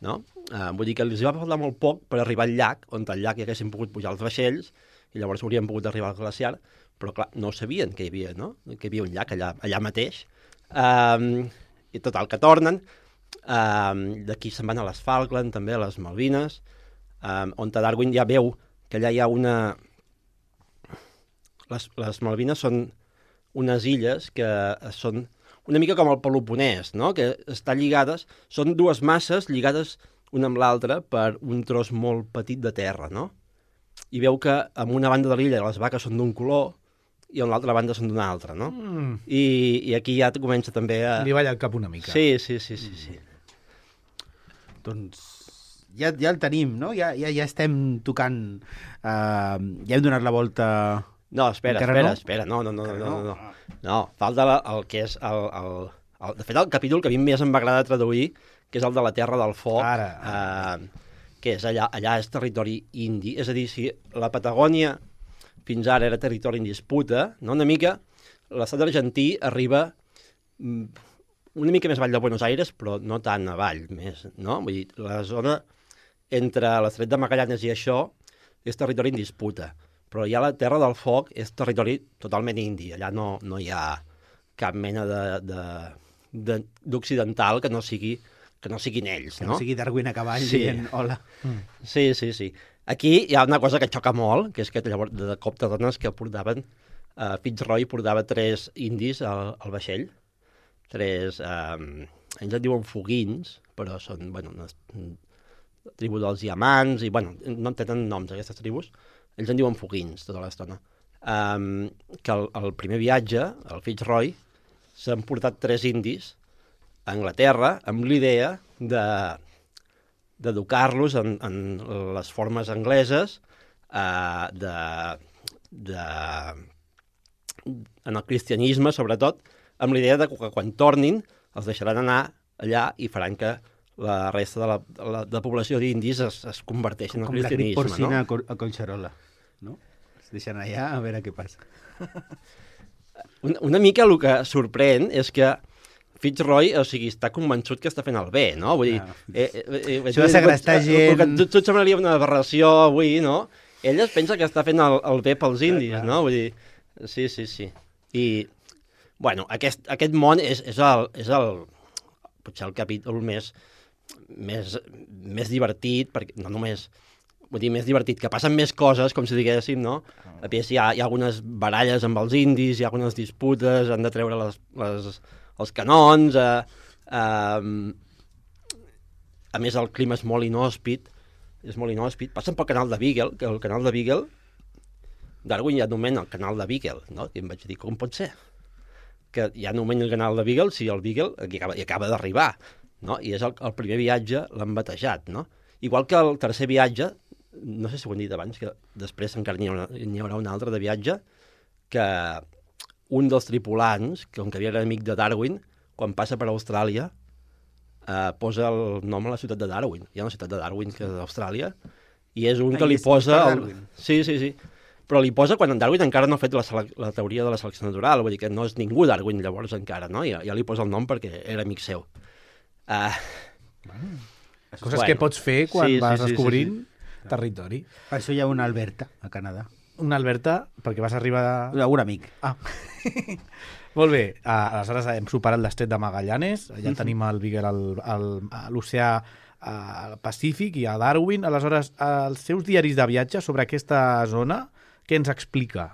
no? Uh, vull dir que els va faltar molt poc per arribar al llac, on al llac hi haguessin pogut pujar els vaixells i llavors haurien pogut arribar al glaciar, però clar, no sabien que hi havia, no?, que hi havia un llac allà, allà mateix. Um, I total, que tornen, um, d'aquí se'n van a les Falkland, també a les Malvines, um, on Darwin ja veu que allà hi ha una... Les, les Malvines són unes illes que són una mica com el Peloponès, no?, que estan lligades, són dues masses lligades una amb l'altra per un tros molt petit de terra, no? I veu que en una banda de l'illa les vaques són d'un color i en l'altra banda són d'un altre, no? Mm. I, I aquí ja comença també a... Li balla el cap una mica. Sí, sí, sí, sí, sí. Mm. Doncs ja, ja el tenim, no? Ja, ja, ja estem tocant... Uh, ja hem donat la volta... No, espera, Encara espera, no? espera, no, no, no, no, no, no. No, falta la, el que és el, el, el... De fet, el capítol que a mi més em va agradar traduir, que és el de la Terra del Foc, Ara. Eh, que és allà, allà és territori indi, és a dir, si la Patagònia fins ara era territori en disputa, no? Una mica, l'estat argentí arriba una mica més avall de Buenos Aires, però no tan avall, més, no? Vull dir, la zona entre l'Estret de Magallanes i això és territori en disputa, però ja la Terra del Foc és territori totalment indi, allà no, no hi ha cap mena de, de, de, d'occidental que no sigui que no siguin ells, Que no? no sigui Darwin a cavall Sí. dient hola. Sí, sí, sí. Aquí hi ha una cosa que xoca molt, que és que llavors de cop te dones que portaven, uh, Fitzroy portava tres indis al, al vaixell, tres, um, ells en diuen foguins, però són, bueno, una la tribu dels diamants, i, bueno, no tenen noms aquestes tribus, ells en diuen foguins tota l'estona. Um, que el, el primer viatge, el Fitzroy, s'han portat tres indis a Anglaterra amb l'idea de d'educar-los en, en les formes angleses, eh, de, de, en el cristianisme, sobretot, amb l'idea de que quan tornin els deixaran anar allà i faran que la resta de la, de la, de la població d'indis es, es converteixi en el Com la cristianisme. grip porcina No? a, Cor- a Collserola, no? Es deixen allà a veure què passa. Una, una mica el que sorprèn és que Fitzroy, o sigui, està convençut que està fent el bé, no? Vull dir... Ah. Eh, eh, eh, Això de segrestar gent- Tot, tot semblaria una aberració avui, no? Ell es pensa que està fent el, el bé pels indis, clar. no? Vull dir... Sí, sí, sí. I, bueno, aquest, aquest món és, és, el, és el... potser el capítol més, més, més divertit, perquè no només... Vull dir, més divertit, que passen més coses, com si diguéssim, no? A més, hi ha, hi ha algunes baralles amb els indis, hi ha algunes disputes, han de treure les, les, els canons, eh, eh, a més el clima és molt inhòspit, és molt inhòspit. Passen pel canal de Beagle, que el canal de Beagle, Darwin ja anomena el canal de Beagle, no? I em vaig dir, com pot ser? Que ja anomena el canal de Beagle si el Beagle hi acaba, hi acaba d'arribar, no? I és el, el primer viatge, l'han batejat, no? Igual que el tercer viatge, no sé si ho hem dit abans, que després encara n'hi haurà, n'hi haurà un altre de viatge, que un dels tripulants, que com que havia era amic de Darwin, quan passa per Austràlia, eh, posa el nom a la ciutat de Darwin. Hi ha una ciutat de Darwin que és d'Austràlia, i és un Ah, que i li és posa... per El... Darwin. Sí, sí, sí. Però li posa quan en Darwin encara no ha fet la, sele... la teoria de la selecció natural, vull dir que no és ningú Darwin llavors encara, no? Ja, ja li posa el nom perquè era amic seu. Uh... Coses Bueno, que pots fer quan sí, sí, vas sí, sí, descobrint sí. territori. Per això hi ha una Alberta, a Canadà. Una Alberta, perquè vas arribar... A... Un amic. Ah. Molt bé, ah, aleshores hem superat l'estret de Magallanes, ja tenim el Beagle al, al, a l'oceà al Pacífic i a Darwin. Aleshores, els seus diaris de viatge sobre aquesta zona, què ens explica?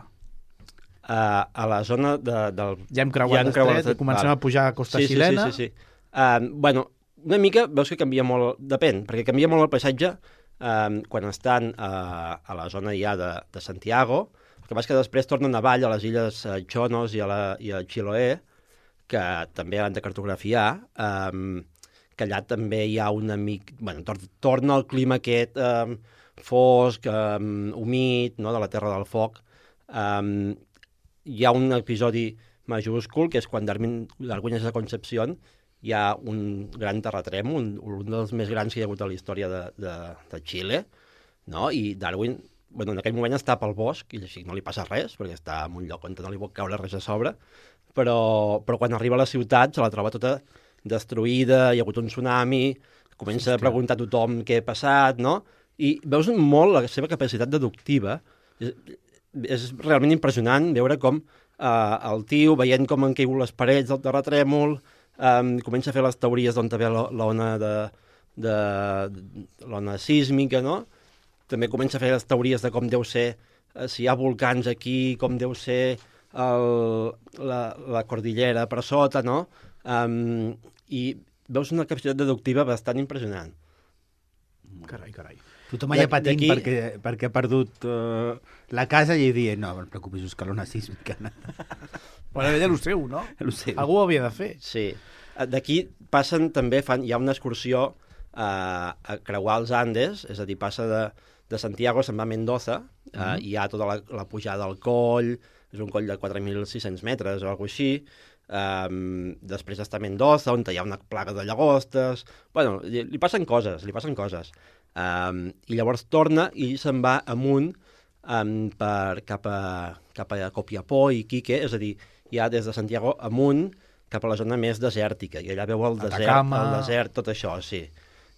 Uh, a la zona de, del... Ja hem creuat hem l'estret l'estret, i comencem val. a pujar a Costa sí, Xilena. Sí, sí, sí. sí. Uh, bueno, una mica veus que canvia molt... Depèn, perquè canvia molt el paisatge um, quan estan uh, a la zona ja de, de Santiago. El que passa que després tornen avall a les illes uh, Chonos i a, la, i a Chiloé, que també han de cartografiar, um, que allà també hi ha un amic... Bueno, tor torna el clima aquest um, fosc, um, humit, no?, de la Terra del Foc. Um, hi ha un episodi majúscul, que és quan Darwin, Darwin és a Concepción, hi ha un gran terratrèmol, un, un dels més grans que hi ha hagut a la història de, de, de Xile, no? I Darwin, bueno, en aquell moment està pel bosc, i així no li passa res, perquè està en un lloc on no li pot caure res a sobre, però, però quan arriba a la ciutat se la troba tota destruïda, hi ha hagut un tsunami, comença a preguntar a tothom què ha passat, no? I veus molt la seva capacitat deductiva. És, és realment impressionant veure com eh, el tio, veient com han caigut les parets del terratrèmol, Um, comença a fer les teories d'on ve l'ona de, de, de l'ona sísmica, no? També comença a fer les teories de com deu ser, eh, si hi ha volcans aquí, com deu ser el, la, la cordillera per sota, no? Um, I veus una capacitat deductiva bastant impressionant. Carai, carai. Tothom allà patint perquè, perquè ha perdut uh, la casa i dient, no, no et preocupis, buscar l'ona sísmica. Bueno, ella el seu, no? El seu. Algú ho havia de fer. Sí. D'aquí passen també, fan, hi ha una excursió eh, a creuar els Andes, és a dir, passa de, de Santiago, se'n va a Mendoza, eh, uh -huh. hi ha tota la, la pujada al coll, és un coll de quatre mil sis-cents metres o alguna cosa així, um, després està a Mendoza, on hi ha una plaga de llagostes, bueno, li, li passen coses, li passen coses. Um, I llavors torna i se'n va amunt um, per, cap, a, cap a Copiapó i Quique, és a dir, ja des de Santiago amunt cap a la zona més desèrtica, i allà veu el desert, Atacama. el desert, tot això, sí.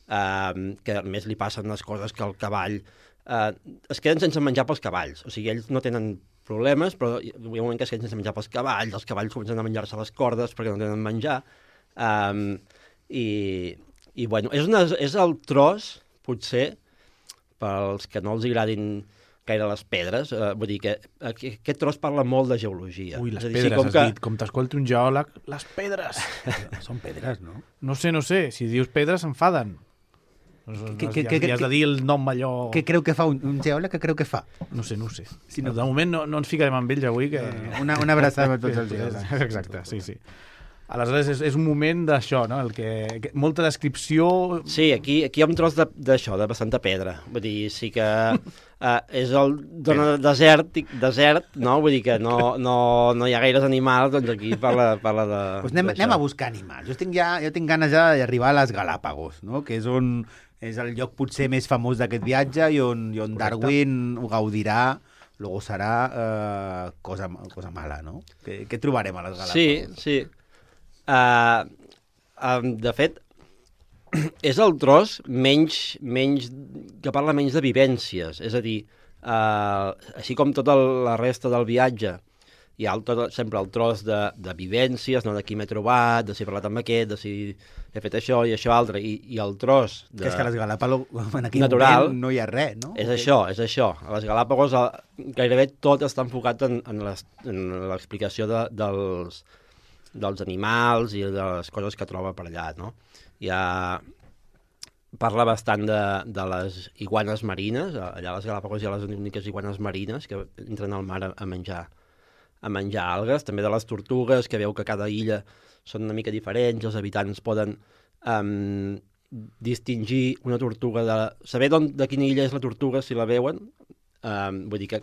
Um, que a més li passen les coses que el cavall... Uh, es queden sense menjar pels cavalls, o sigui, ells no tenen problemes, però hi ha un moment que es queden sense menjar pels cavalls, els cavalls comencen a menjar-se les cordes perquè no tenen menjar, um, i I, bueno, és, una, és el tros, potser, pels que no els agradin gaire les pedres, eh, vull dir que aquest tros parla molt de geologia. Ui, les dir, pedres, sí, com has que... dit. Com t'escolti un geòleg, les pedres! Són pedres, no? No sé, no sé. Si dius pedres, s'enfaden. Que- que- Ja, que- ja has de dir el nom allò... Què creu que fa un, un geòleg? Què creu que fa? No sé, no ho sé. Si no- De moment no, no ens ficarem amb ells avui. Que... Una, una abraçada a tots els geòlegs. Exacte, sí, sí. Aleshores, és, és un moment d'això, no? El que, que, molta descripció... Sí, aquí, aquí hi ha un tros d'això, de, de bastanta pedra. Vull dir, sí que uh, és el dona desert, desert, no? Vull dir que no, no, no hi ha gaires animals, doncs aquí parla, parla de... Pues anem, anem a buscar animals. Jo tinc, ja, jo tinc ganes ja d'arribar a les Galàpagos, no? Que és on és el lloc potser més famós d'aquest viatge i on, i on Darwin ho gaudirà, lo serà eh, cosa, cosa mala, no? Què, què trobarem a les Galàpagos? Sí, sí. Uh, um, de fet, és el tros menys, menys, que parla menys de vivències. És a dir, uh, així com tota la resta del viatge, hi ha el, tot, sempre el tros de, de vivències, no? De qui m'he trobat, de si he parlat amb aquest, de si he fet això i això altre, i, i el tros de... Que és que a les Galàpagos en aquell natural, moment no hi ha res, no? És això, és això. A les Galàpagos el, gairebé tot està enfocat en, en l'explicació de, dels, dels animals i de les coses que troba per allà, no? Ja parla bastant de, de les iguanes marines. Allà a les Galàpagos hi ha les úniques iguanes marines que entren al mar a, a menjar a menjar algues, també de les tortugues, que veu que cada illa són una mica diferents, els habitants poden um, distingir una tortuga de... Saber de quina illa és la tortuga si la veuen, um, vull dir que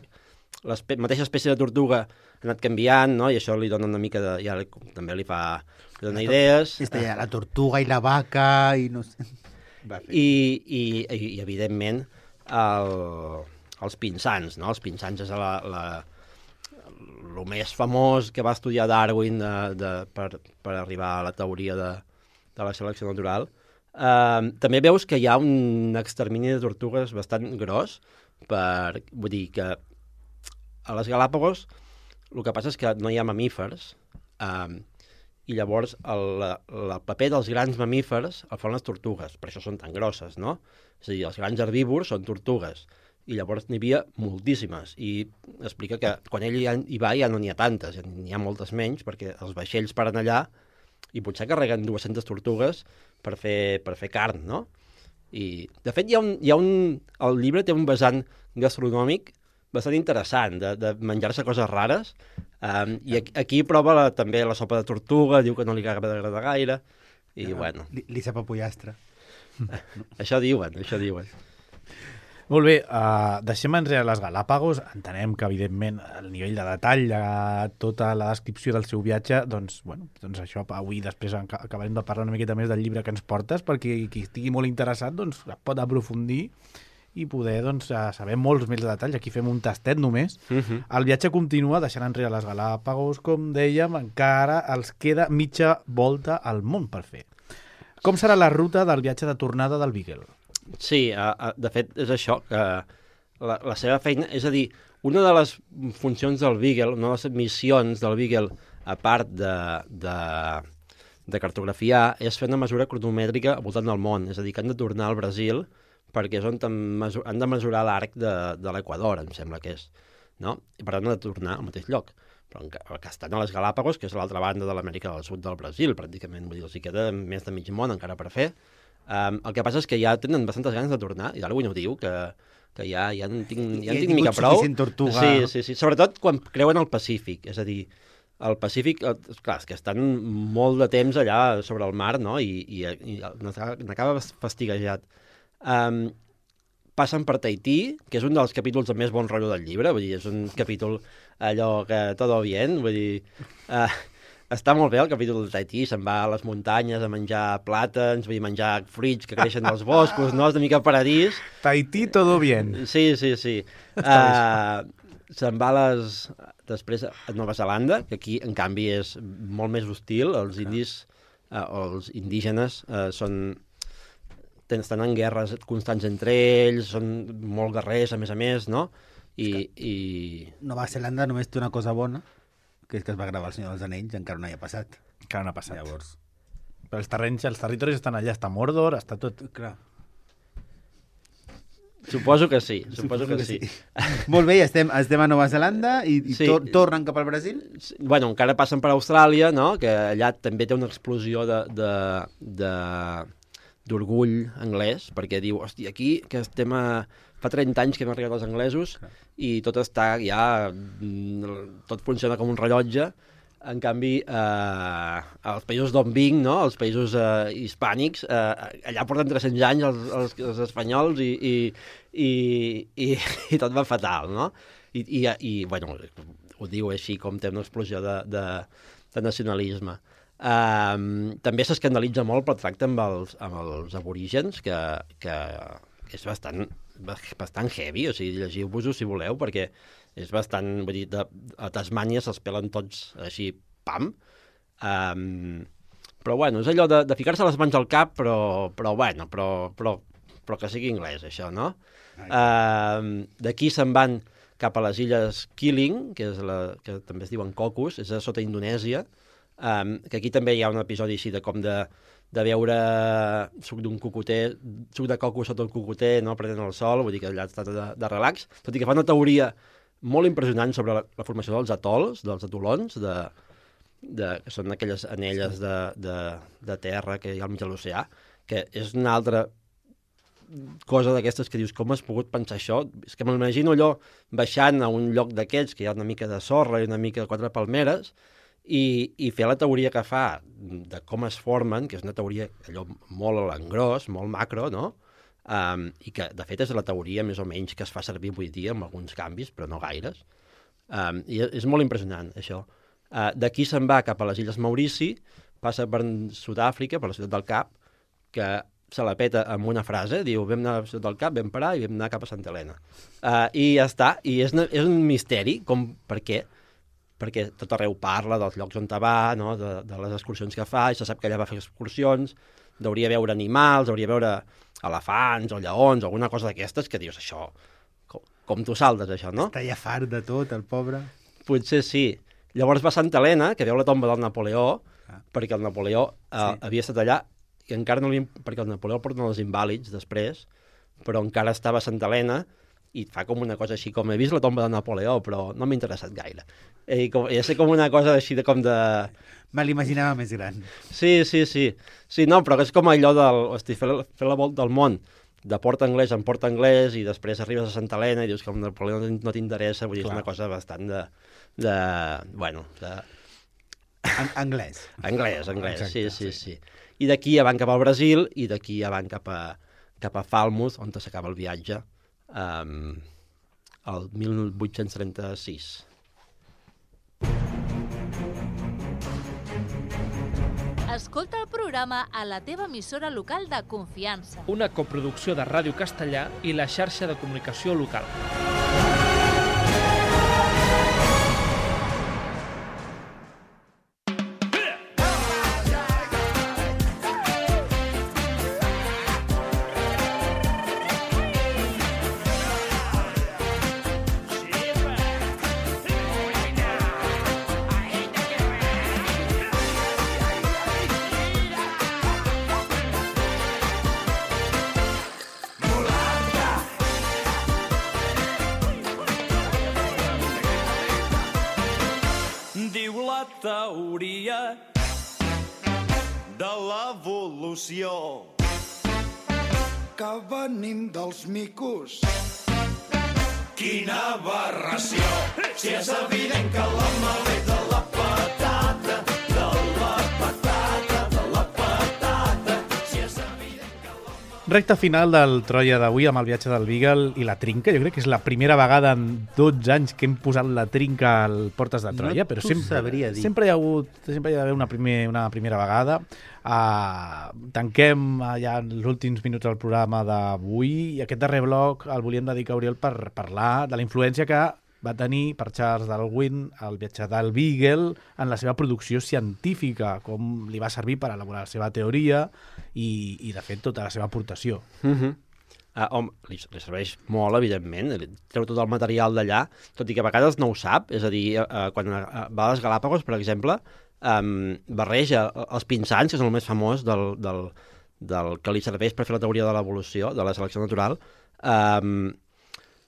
la mateixa espècie de tortuga ha anat canviant, no? I això li dona una mica de... Ja li, també li fa... Li dona idees. Està ja la tortuga i la vaca i no sé... I, i, i, i evidentment, el, els pinsans, no? Els pinsans és la... la el més famós que va estudiar Darwin de, de, per, per arribar a la teoria de, de la selecció natural. Uh, també veus que hi ha un extermini de tortugues bastant gros, per, vull dir que a les Galàpagos el que passa és que no hi ha mamífers, uh, i llavors el, el paper dels grans mamífers el fan les tortugues, per això són tan grosses, no? És a dir, els grans herbívors són tortugues, i llavors n'hi havia moltíssimes, i explica que quan ell hi va ja no n'hi ha tantes, n'hi ha moltes menys, perquè els vaixells paren allà i potser carreguen dues-centes tortugues per fer, per fer carn, no? I, de fet, hi ha un, hi ha un, el llibre té un vessant gastronòmic bastant interessant, de, de menjar-se coses rares, um, i aquí, aquí prova la, també la sopa de tortuga, diu que no li agrada gaire, i ja, bueno... Li, li sap a pollastre. Això diuen, això diuen. Molt bé, uh, deixem enrere les Galàpagos. Entenem que, evidentment, el nivell de detall de tota la descripció del seu viatge, doncs, bueno, doncs això, avui després acabarem de parlar una miqueta més del llibre que ens portes, perquè qui estigui molt interessat doncs, pot aprofundir i poder doncs, saber molts més detalls. Aquí fem un tastet només. Uh -huh. El viatge continua, deixant enrere les Galàpagos, com dèiem, encara els queda mitja volta al món per fer. Com serà la ruta del viatge de tornada del Beagle? Sí, uh, de fet és això, que la, la seva feina, és a dir, una de les funcions del Beagle, una de les missions del Beagle, a part de, de, de cartografiar, és fer una mesura cronomètrica al voltant del món, és a dir, que han de tornar al Brasil perquè és on han de mesurar l'arc de, de l'Equador, em sembla que és, no? I per tant han de tornar al mateix lloc, però que estan a les Galàpagos, que és a l'altra banda de l'Amèrica del Sud del Brasil, pràcticament, vull dir, els hi queda més de mig món encara per fer. Um, el que passa és que ja tenen bastantes ganes de tornar, i Darwin ho diu, que, que ja, ja en tinc, ja en tinc mica prou. Tortuga. Sí, sí, sí, sobretot quan creuen el Pacífic, és a dir, el Pacífic, clar, és que estan molt de temps allà sobre el mar, no?, i, i, i n'acaba fastiguejat. Um, passen per Tahití, que és un dels capítols amb més bon rotllo del llibre, vull dir, és un capítol allò que todo bien, vull dir... Uh, Està molt bé el capítol de Tahití, se'n va a les muntanyes a menjar plàtans, vull dir, menjar fruits que creixen dels boscos, no? És una mica paradís. Tahití, todo bien. Sí, sí, sí. Uh, se'n va a les... després a Nova Zelanda, que aquí, en canvi, és molt més hostil. Els indis, uh, els indígenes, uh, són... estan en guerres constants entre ells, són molt guerrers, a més a més, no? I... i... Nova Zelanda només té una cosa bona, que és que es va gravar El Senyor dels Anells, encara no hi ha passat. Encara no ha passat. Llavors... Però els terrenys, els territoris estan allà, està Mordor, està tot... Clar. Suposo que sí, suposo, suposo que, que sí. sí. Molt bé, estem, estem a Nova Zelanda i, i sí. tor tornen cap al Brasil? Bueno, encara passen per Austràlia, no? Que allà també té una explosió de... de, de d'orgull anglès, perquè diu, hòstia, aquí que estem a... fa trenta anys que hem arribat els anglesos Clar. I tot està ja... tot funciona com un rellotge. En canvi, eh, els països d'on vinc, no? Els països eh, hispànics, eh, allà porten tres-cents anys els, els, els espanyols i, i, i, i, i tot va fatal, no? I, i, i bueno, ho diu així com té una explosió de, de, de nacionalisme. Um, també s'escandalitza molt pel tracte amb els, amb els aborígens, que, que és bastant, bastant heavy, o sigui, llegiu-vos-ho si voleu, perquè és bastant, vull dir, de, a Tasmània se'ls pelen tots així, pam. Um, però bueno, és allò de, de ficar-se les mans al cap, però, però bueno, però, però, però que sigui anglès, això, no? Um, D'aquí se'n van cap a les illes Keeling, que, és la, que també es diuen Cocos, és a sota Indonèsia, um, que aquí també hi ha un episodi així de com de, de veure suc d'un cocoter, suc de coco sota un cocoter, no prenent el sol, vull dir que allà està de, de relax, tot i que fa una teoria molt impressionant sobre la, la formació dels atols, dels atolons, de, de, que són aquelles anelles de, de, de terra que hi ha al mig de l'oceà, que és una altra cosa d'aquestes que dius, com has pogut pensar això? És que m'imagino allò baixant a un lloc d'aquests que hi ha una mica de sorra i una mica de quatre palmeres i, i fer la teoria que fa de com es formen, que és una teoria allò molt a l'engròs, molt macro, no? Um, i que de fet és la teoria més o menys que es fa servir avui dia amb alguns canvis, però no gaires. Um, i és molt impressionant això. Uh, D'aquí se'n va cap a les Illes Maurici, passa per Sud-àfrica, per la ciutat del Cap, que se la peta amb una frase, diu, vam anar a la ciutat del Cap, vam parar i vam anar cap a Santa Helena. Uh, I ja està, i és, és un misteri, com, per què? Perquè tot arreu parla dels llocs on va, no? de, de les excursions que fa, i se sap que allà va fer excursions, hauria veure animals, hauria veure elefants o lleons o alguna cosa d'aquestes que dius, això, com, com tu saltes, això, no? Està ja fart de tot, el pobre. Potser sí. Llavors va a Santa Helena, que veu la tomba del Napoleó, ah. perquè el Napoleó eh, sí. havia estat allà, i encara no li... perquè el Napoleó porta els invàlids després, però encara estava a Santa Helena, i fa com una cosa així, com he vist la tomba del Napoleó, però no m'ha interessat gaire. I com, ja sé com una cosa així de com de... Me l'imaginava més gran. Sí, sí, sí. Sí, no, però és com allò del... Hosti, fer, la, fer la volta al món de port anglès en port anglès i després arribes a Santa Helena i dius que el Napoleó no t'interessa, vull dir, Clar. És una cosa bastant de... de bueno, de... An anglès. Anglès, anglès, Exacte, sí, sí, sí. I d'aquí ja van cap al Brasil i d'aquí ja van cap a, cap a Falmouth, on s'acaba el viatge, um, el mil vuit-cents trenta-sis. Escolta el programa a la teva emissora local de confiança. Una coproducció de Ràdio Castellà i la xarxa de comunicació local. Teoria de l'evolució que venim dels micos. Quina aberració! Si és evident que l'home ve de la patata, de la patata, de la patata. Si és evident que l'home... Recta final del Troia d'avui amb el viatge del Beagle i la trinca. Jo crec que és la primera vegada en dotze anys que hem posat la trinca al Portes de Troia, no però sempre, dir. sempre hi ha hagut, sempre hi ha d'haver una, primer, una primera vegada. Uh, tanquem uh, ja els últims minuts del programa d'avui i aquest darrer bloc el volíem dedicar a Oriol per parlar de la influència que va tenir per Charles Darwin el viatge del Beagle en la seva producció científica, com li va servir per elaborar la seva teoria i, i de fet, tota la seva aportació. Mm-hmm. Uh, home, li, li serveix molt, evidentment, treu tot el material d'allà, tot i que a vegades no ho sap, és a dir, uh, quan uh, va a les Galàpagos, per exemple, um, barreja els pinsans, que són el més famós del, del, del que li serveix per fer la teoria de l'evolució, de la selecció natural, um,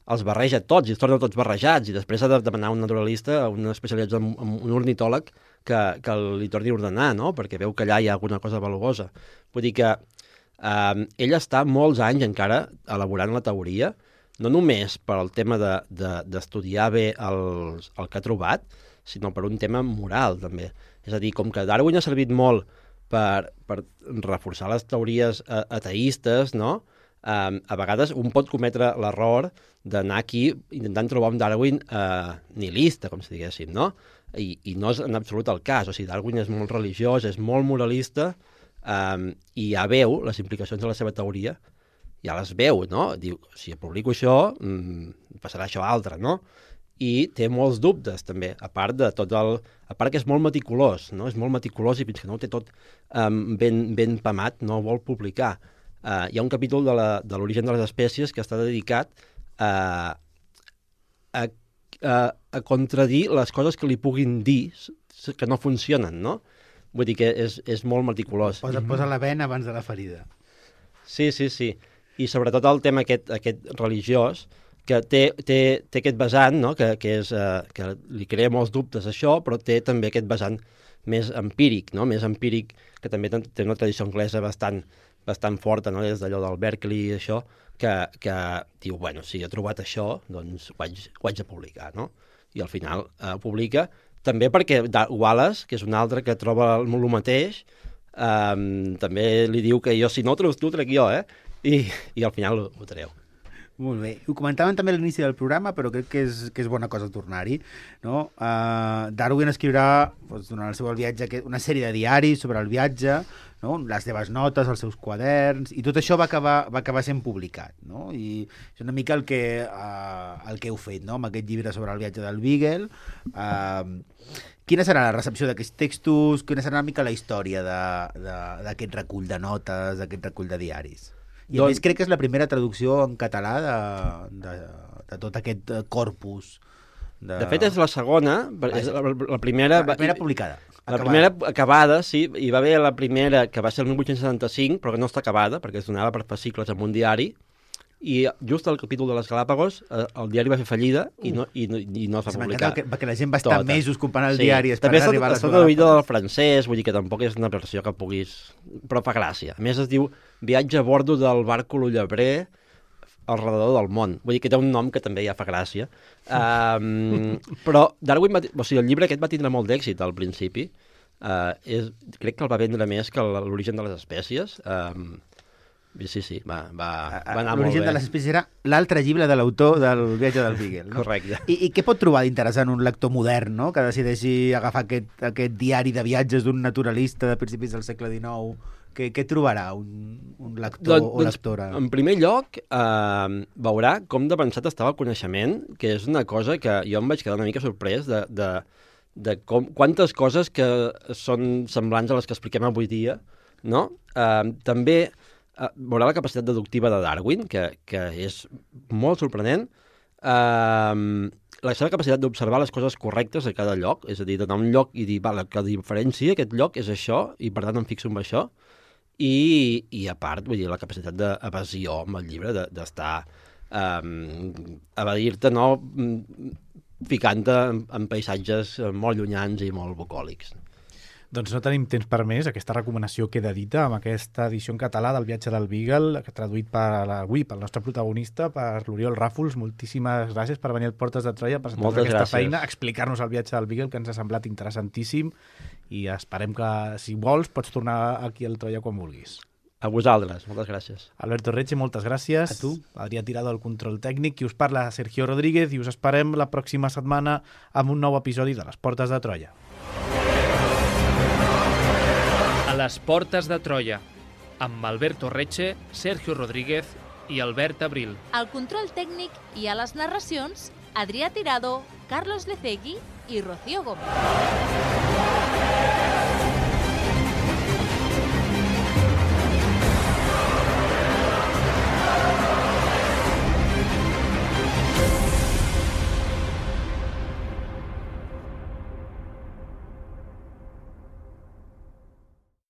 els barreja tots i els torna tots barrejats i després ha de demanar a un naturalista, a un especialitzat, a un ornitòleg que, que li torni a ordenar, no? Perquè veu que allà hi ha alguna cosa valuosa. Vull dir que um, ell està molts anys encara elaborant la teoria, no només per al tema d'estudiar de, de, bé el, el que ha trobat, sinó per un tema moral, també. És a dir, com que Darwin ha servit molt per, per reforçar les teories ateistes, no? Um, a vegades un pot cometre l'error d'anar aquí intentant trobar un Darwin uh, nihilista, com si diguéssim, no? I, I no és en absolut el cas. O sigui, Darwin és molt religiós, és molt moralista, um, i ja veu les implicacions de la seva teoria, ja les veu, no? Diu, si publico això, mm, passarà això altre, no? I té molts dubtes, també, a part de tot el... A part que és molt meticulós, no? És molt meticulós i fins que no ho té tot um, ben, ben pamat, no vol publicar. Uh, hi ha un capítol de l'origen de, de les espècies que està dedicat a, a, a, a contradir les coses que li puguin dir que no funcionen, no? Vull dir que és, és molt meticulós. Posa, posa la vena abans de la ferida. Sí, sí, sí. I sobretot el tema aquest, aquest religiós, que té, té, té aquest vessant, no? que, que, és, uh, que li crea molts dubtes això, però té també aquest vessant més empíric, no? Més empíric, que també té una tradició anglesa bastant, bastant forta, no? Des d'allò del Berkeley i això, que, que diu, bueno, si he trobat això, doncs ho haig, ho haig de publicar, no? I al final eh, publica, també perquè Wallace, que és un altre que troba el, el mateix, eh, també li diu que jo, si no ho treus tu, trec jo, eh? I, i al final ho, ho treu. Molt bé. Ho comentàvem també a l'inici del programa, però crec que és, que és bona cosa tornar-hi. No? Uh, Darwin escriurà, doncs, durant el seu viatge, una sèrie de diaris sobre el viatge, no? Les seves notes, els seus quaderns, i tot això va acabar, va acabar sent publicat. No? I és una mica el que, uh, el que heu fet, no? Amb aquest llibre sobre el viatge del Beagle. Uh, quina serà la recepció d'aquests textos? Quina serà una mica la història d'aquest recull de notes, d'aquest recull de diaris? I a doncs... més crec que és la primera traducció en català de, de, de tot aquest corpus. De, de fet és la segona, és la, la primera... La primera publicada. La acabada. primera acabada, sí, hi va haver la primera que va ser el mil vuit-cents setanta-cinc, però que no està acabada, perquè es donava per fascicles en un diari, i just al capítol de les Galàpagos eh, el diari va fer fallida i no, i no, i no es va publicar. Que, que la gent va estar tota. mesos comprant el sí. diari esperant també arribar a les Galàpagos. També està traduïda del francès, vull dir que tampoc és una versió que puguis... Però fa gràcia. A més es diu Viatge a bordo del barco Llebrer al redador del món. Vull dir que té un nom que també ja fa gràcia. Um, però Darwin va... O sigui, el llibre aquest va tindre molt d'èxit al principi. Uh, és... Crec que el va vendre més que l'origen de les espècies. Um, Sí, sí, va, va, va anar molt bé. L'origen de les espècies era l'altre llibre de l'autor del viatge del Beagle. No? Correcte. I, I què pot trobar d'interessant un lector modern, no? Que decideixi agafar aquest, aquest diari de viatges d'un naturalista de principis del segle dinou? Què, què trobarà un, un lector doncs, o lectora? En primer lloc, eh, veurà com d'avançat estava el coneixement, que és una cosa que jo em vaig quedar una mica sorprès de, de, de com, quantes coses que són semblants a les que expliquem avui dia, no? Eh, també... Uh, veurà la capacitat deductiva de Darwin, que, que és molt sorprenent. Uh, la seva capacitat d'observar les coses correctes a cada lloc, és a dir, d'anar a un lloc i dir, vale, que diferència aquest lloc és això, i per tant em fixo en això. I, i a part, vull dir, la capacitat d'evasió amb el llibre, d'estar... De, um, evadir-te, no? Ficant-te en, en paisatges molt llunyans i molt bucòlics. Doncs no tenim temps per més. Aquesta recomanació queda dita amb aquesta edició en català del viatge del Beagle, traduït per avui pel nostre protagonista, per l'Oriol Ràfols. Moltíssimes gràcies per venir al Portes de Troia, per presentar aquesta gràcies. feina, explicar-nos el viatge del Beagle, que ens ha semblat interessantíssim, i esperem que, si vols, pots tornar aquí al Troia quan vulguis. A vosaltres, moltes gràcies. Alberto Retxe, moltes gràcies. A tu. Adrià Tirado, el control tècnic, i us parla Sergio Rodríguez, i us esperem la pròxima setmana amb un nou episodi de les Portes de Troia. A les Portes de Troia, amb Alberto Retxe, Sergio Rodríguez i Albert Abril. Al control tècnic i a les narracions, Adrià Tirado, Carlos Lecegui i Rocío Gómez.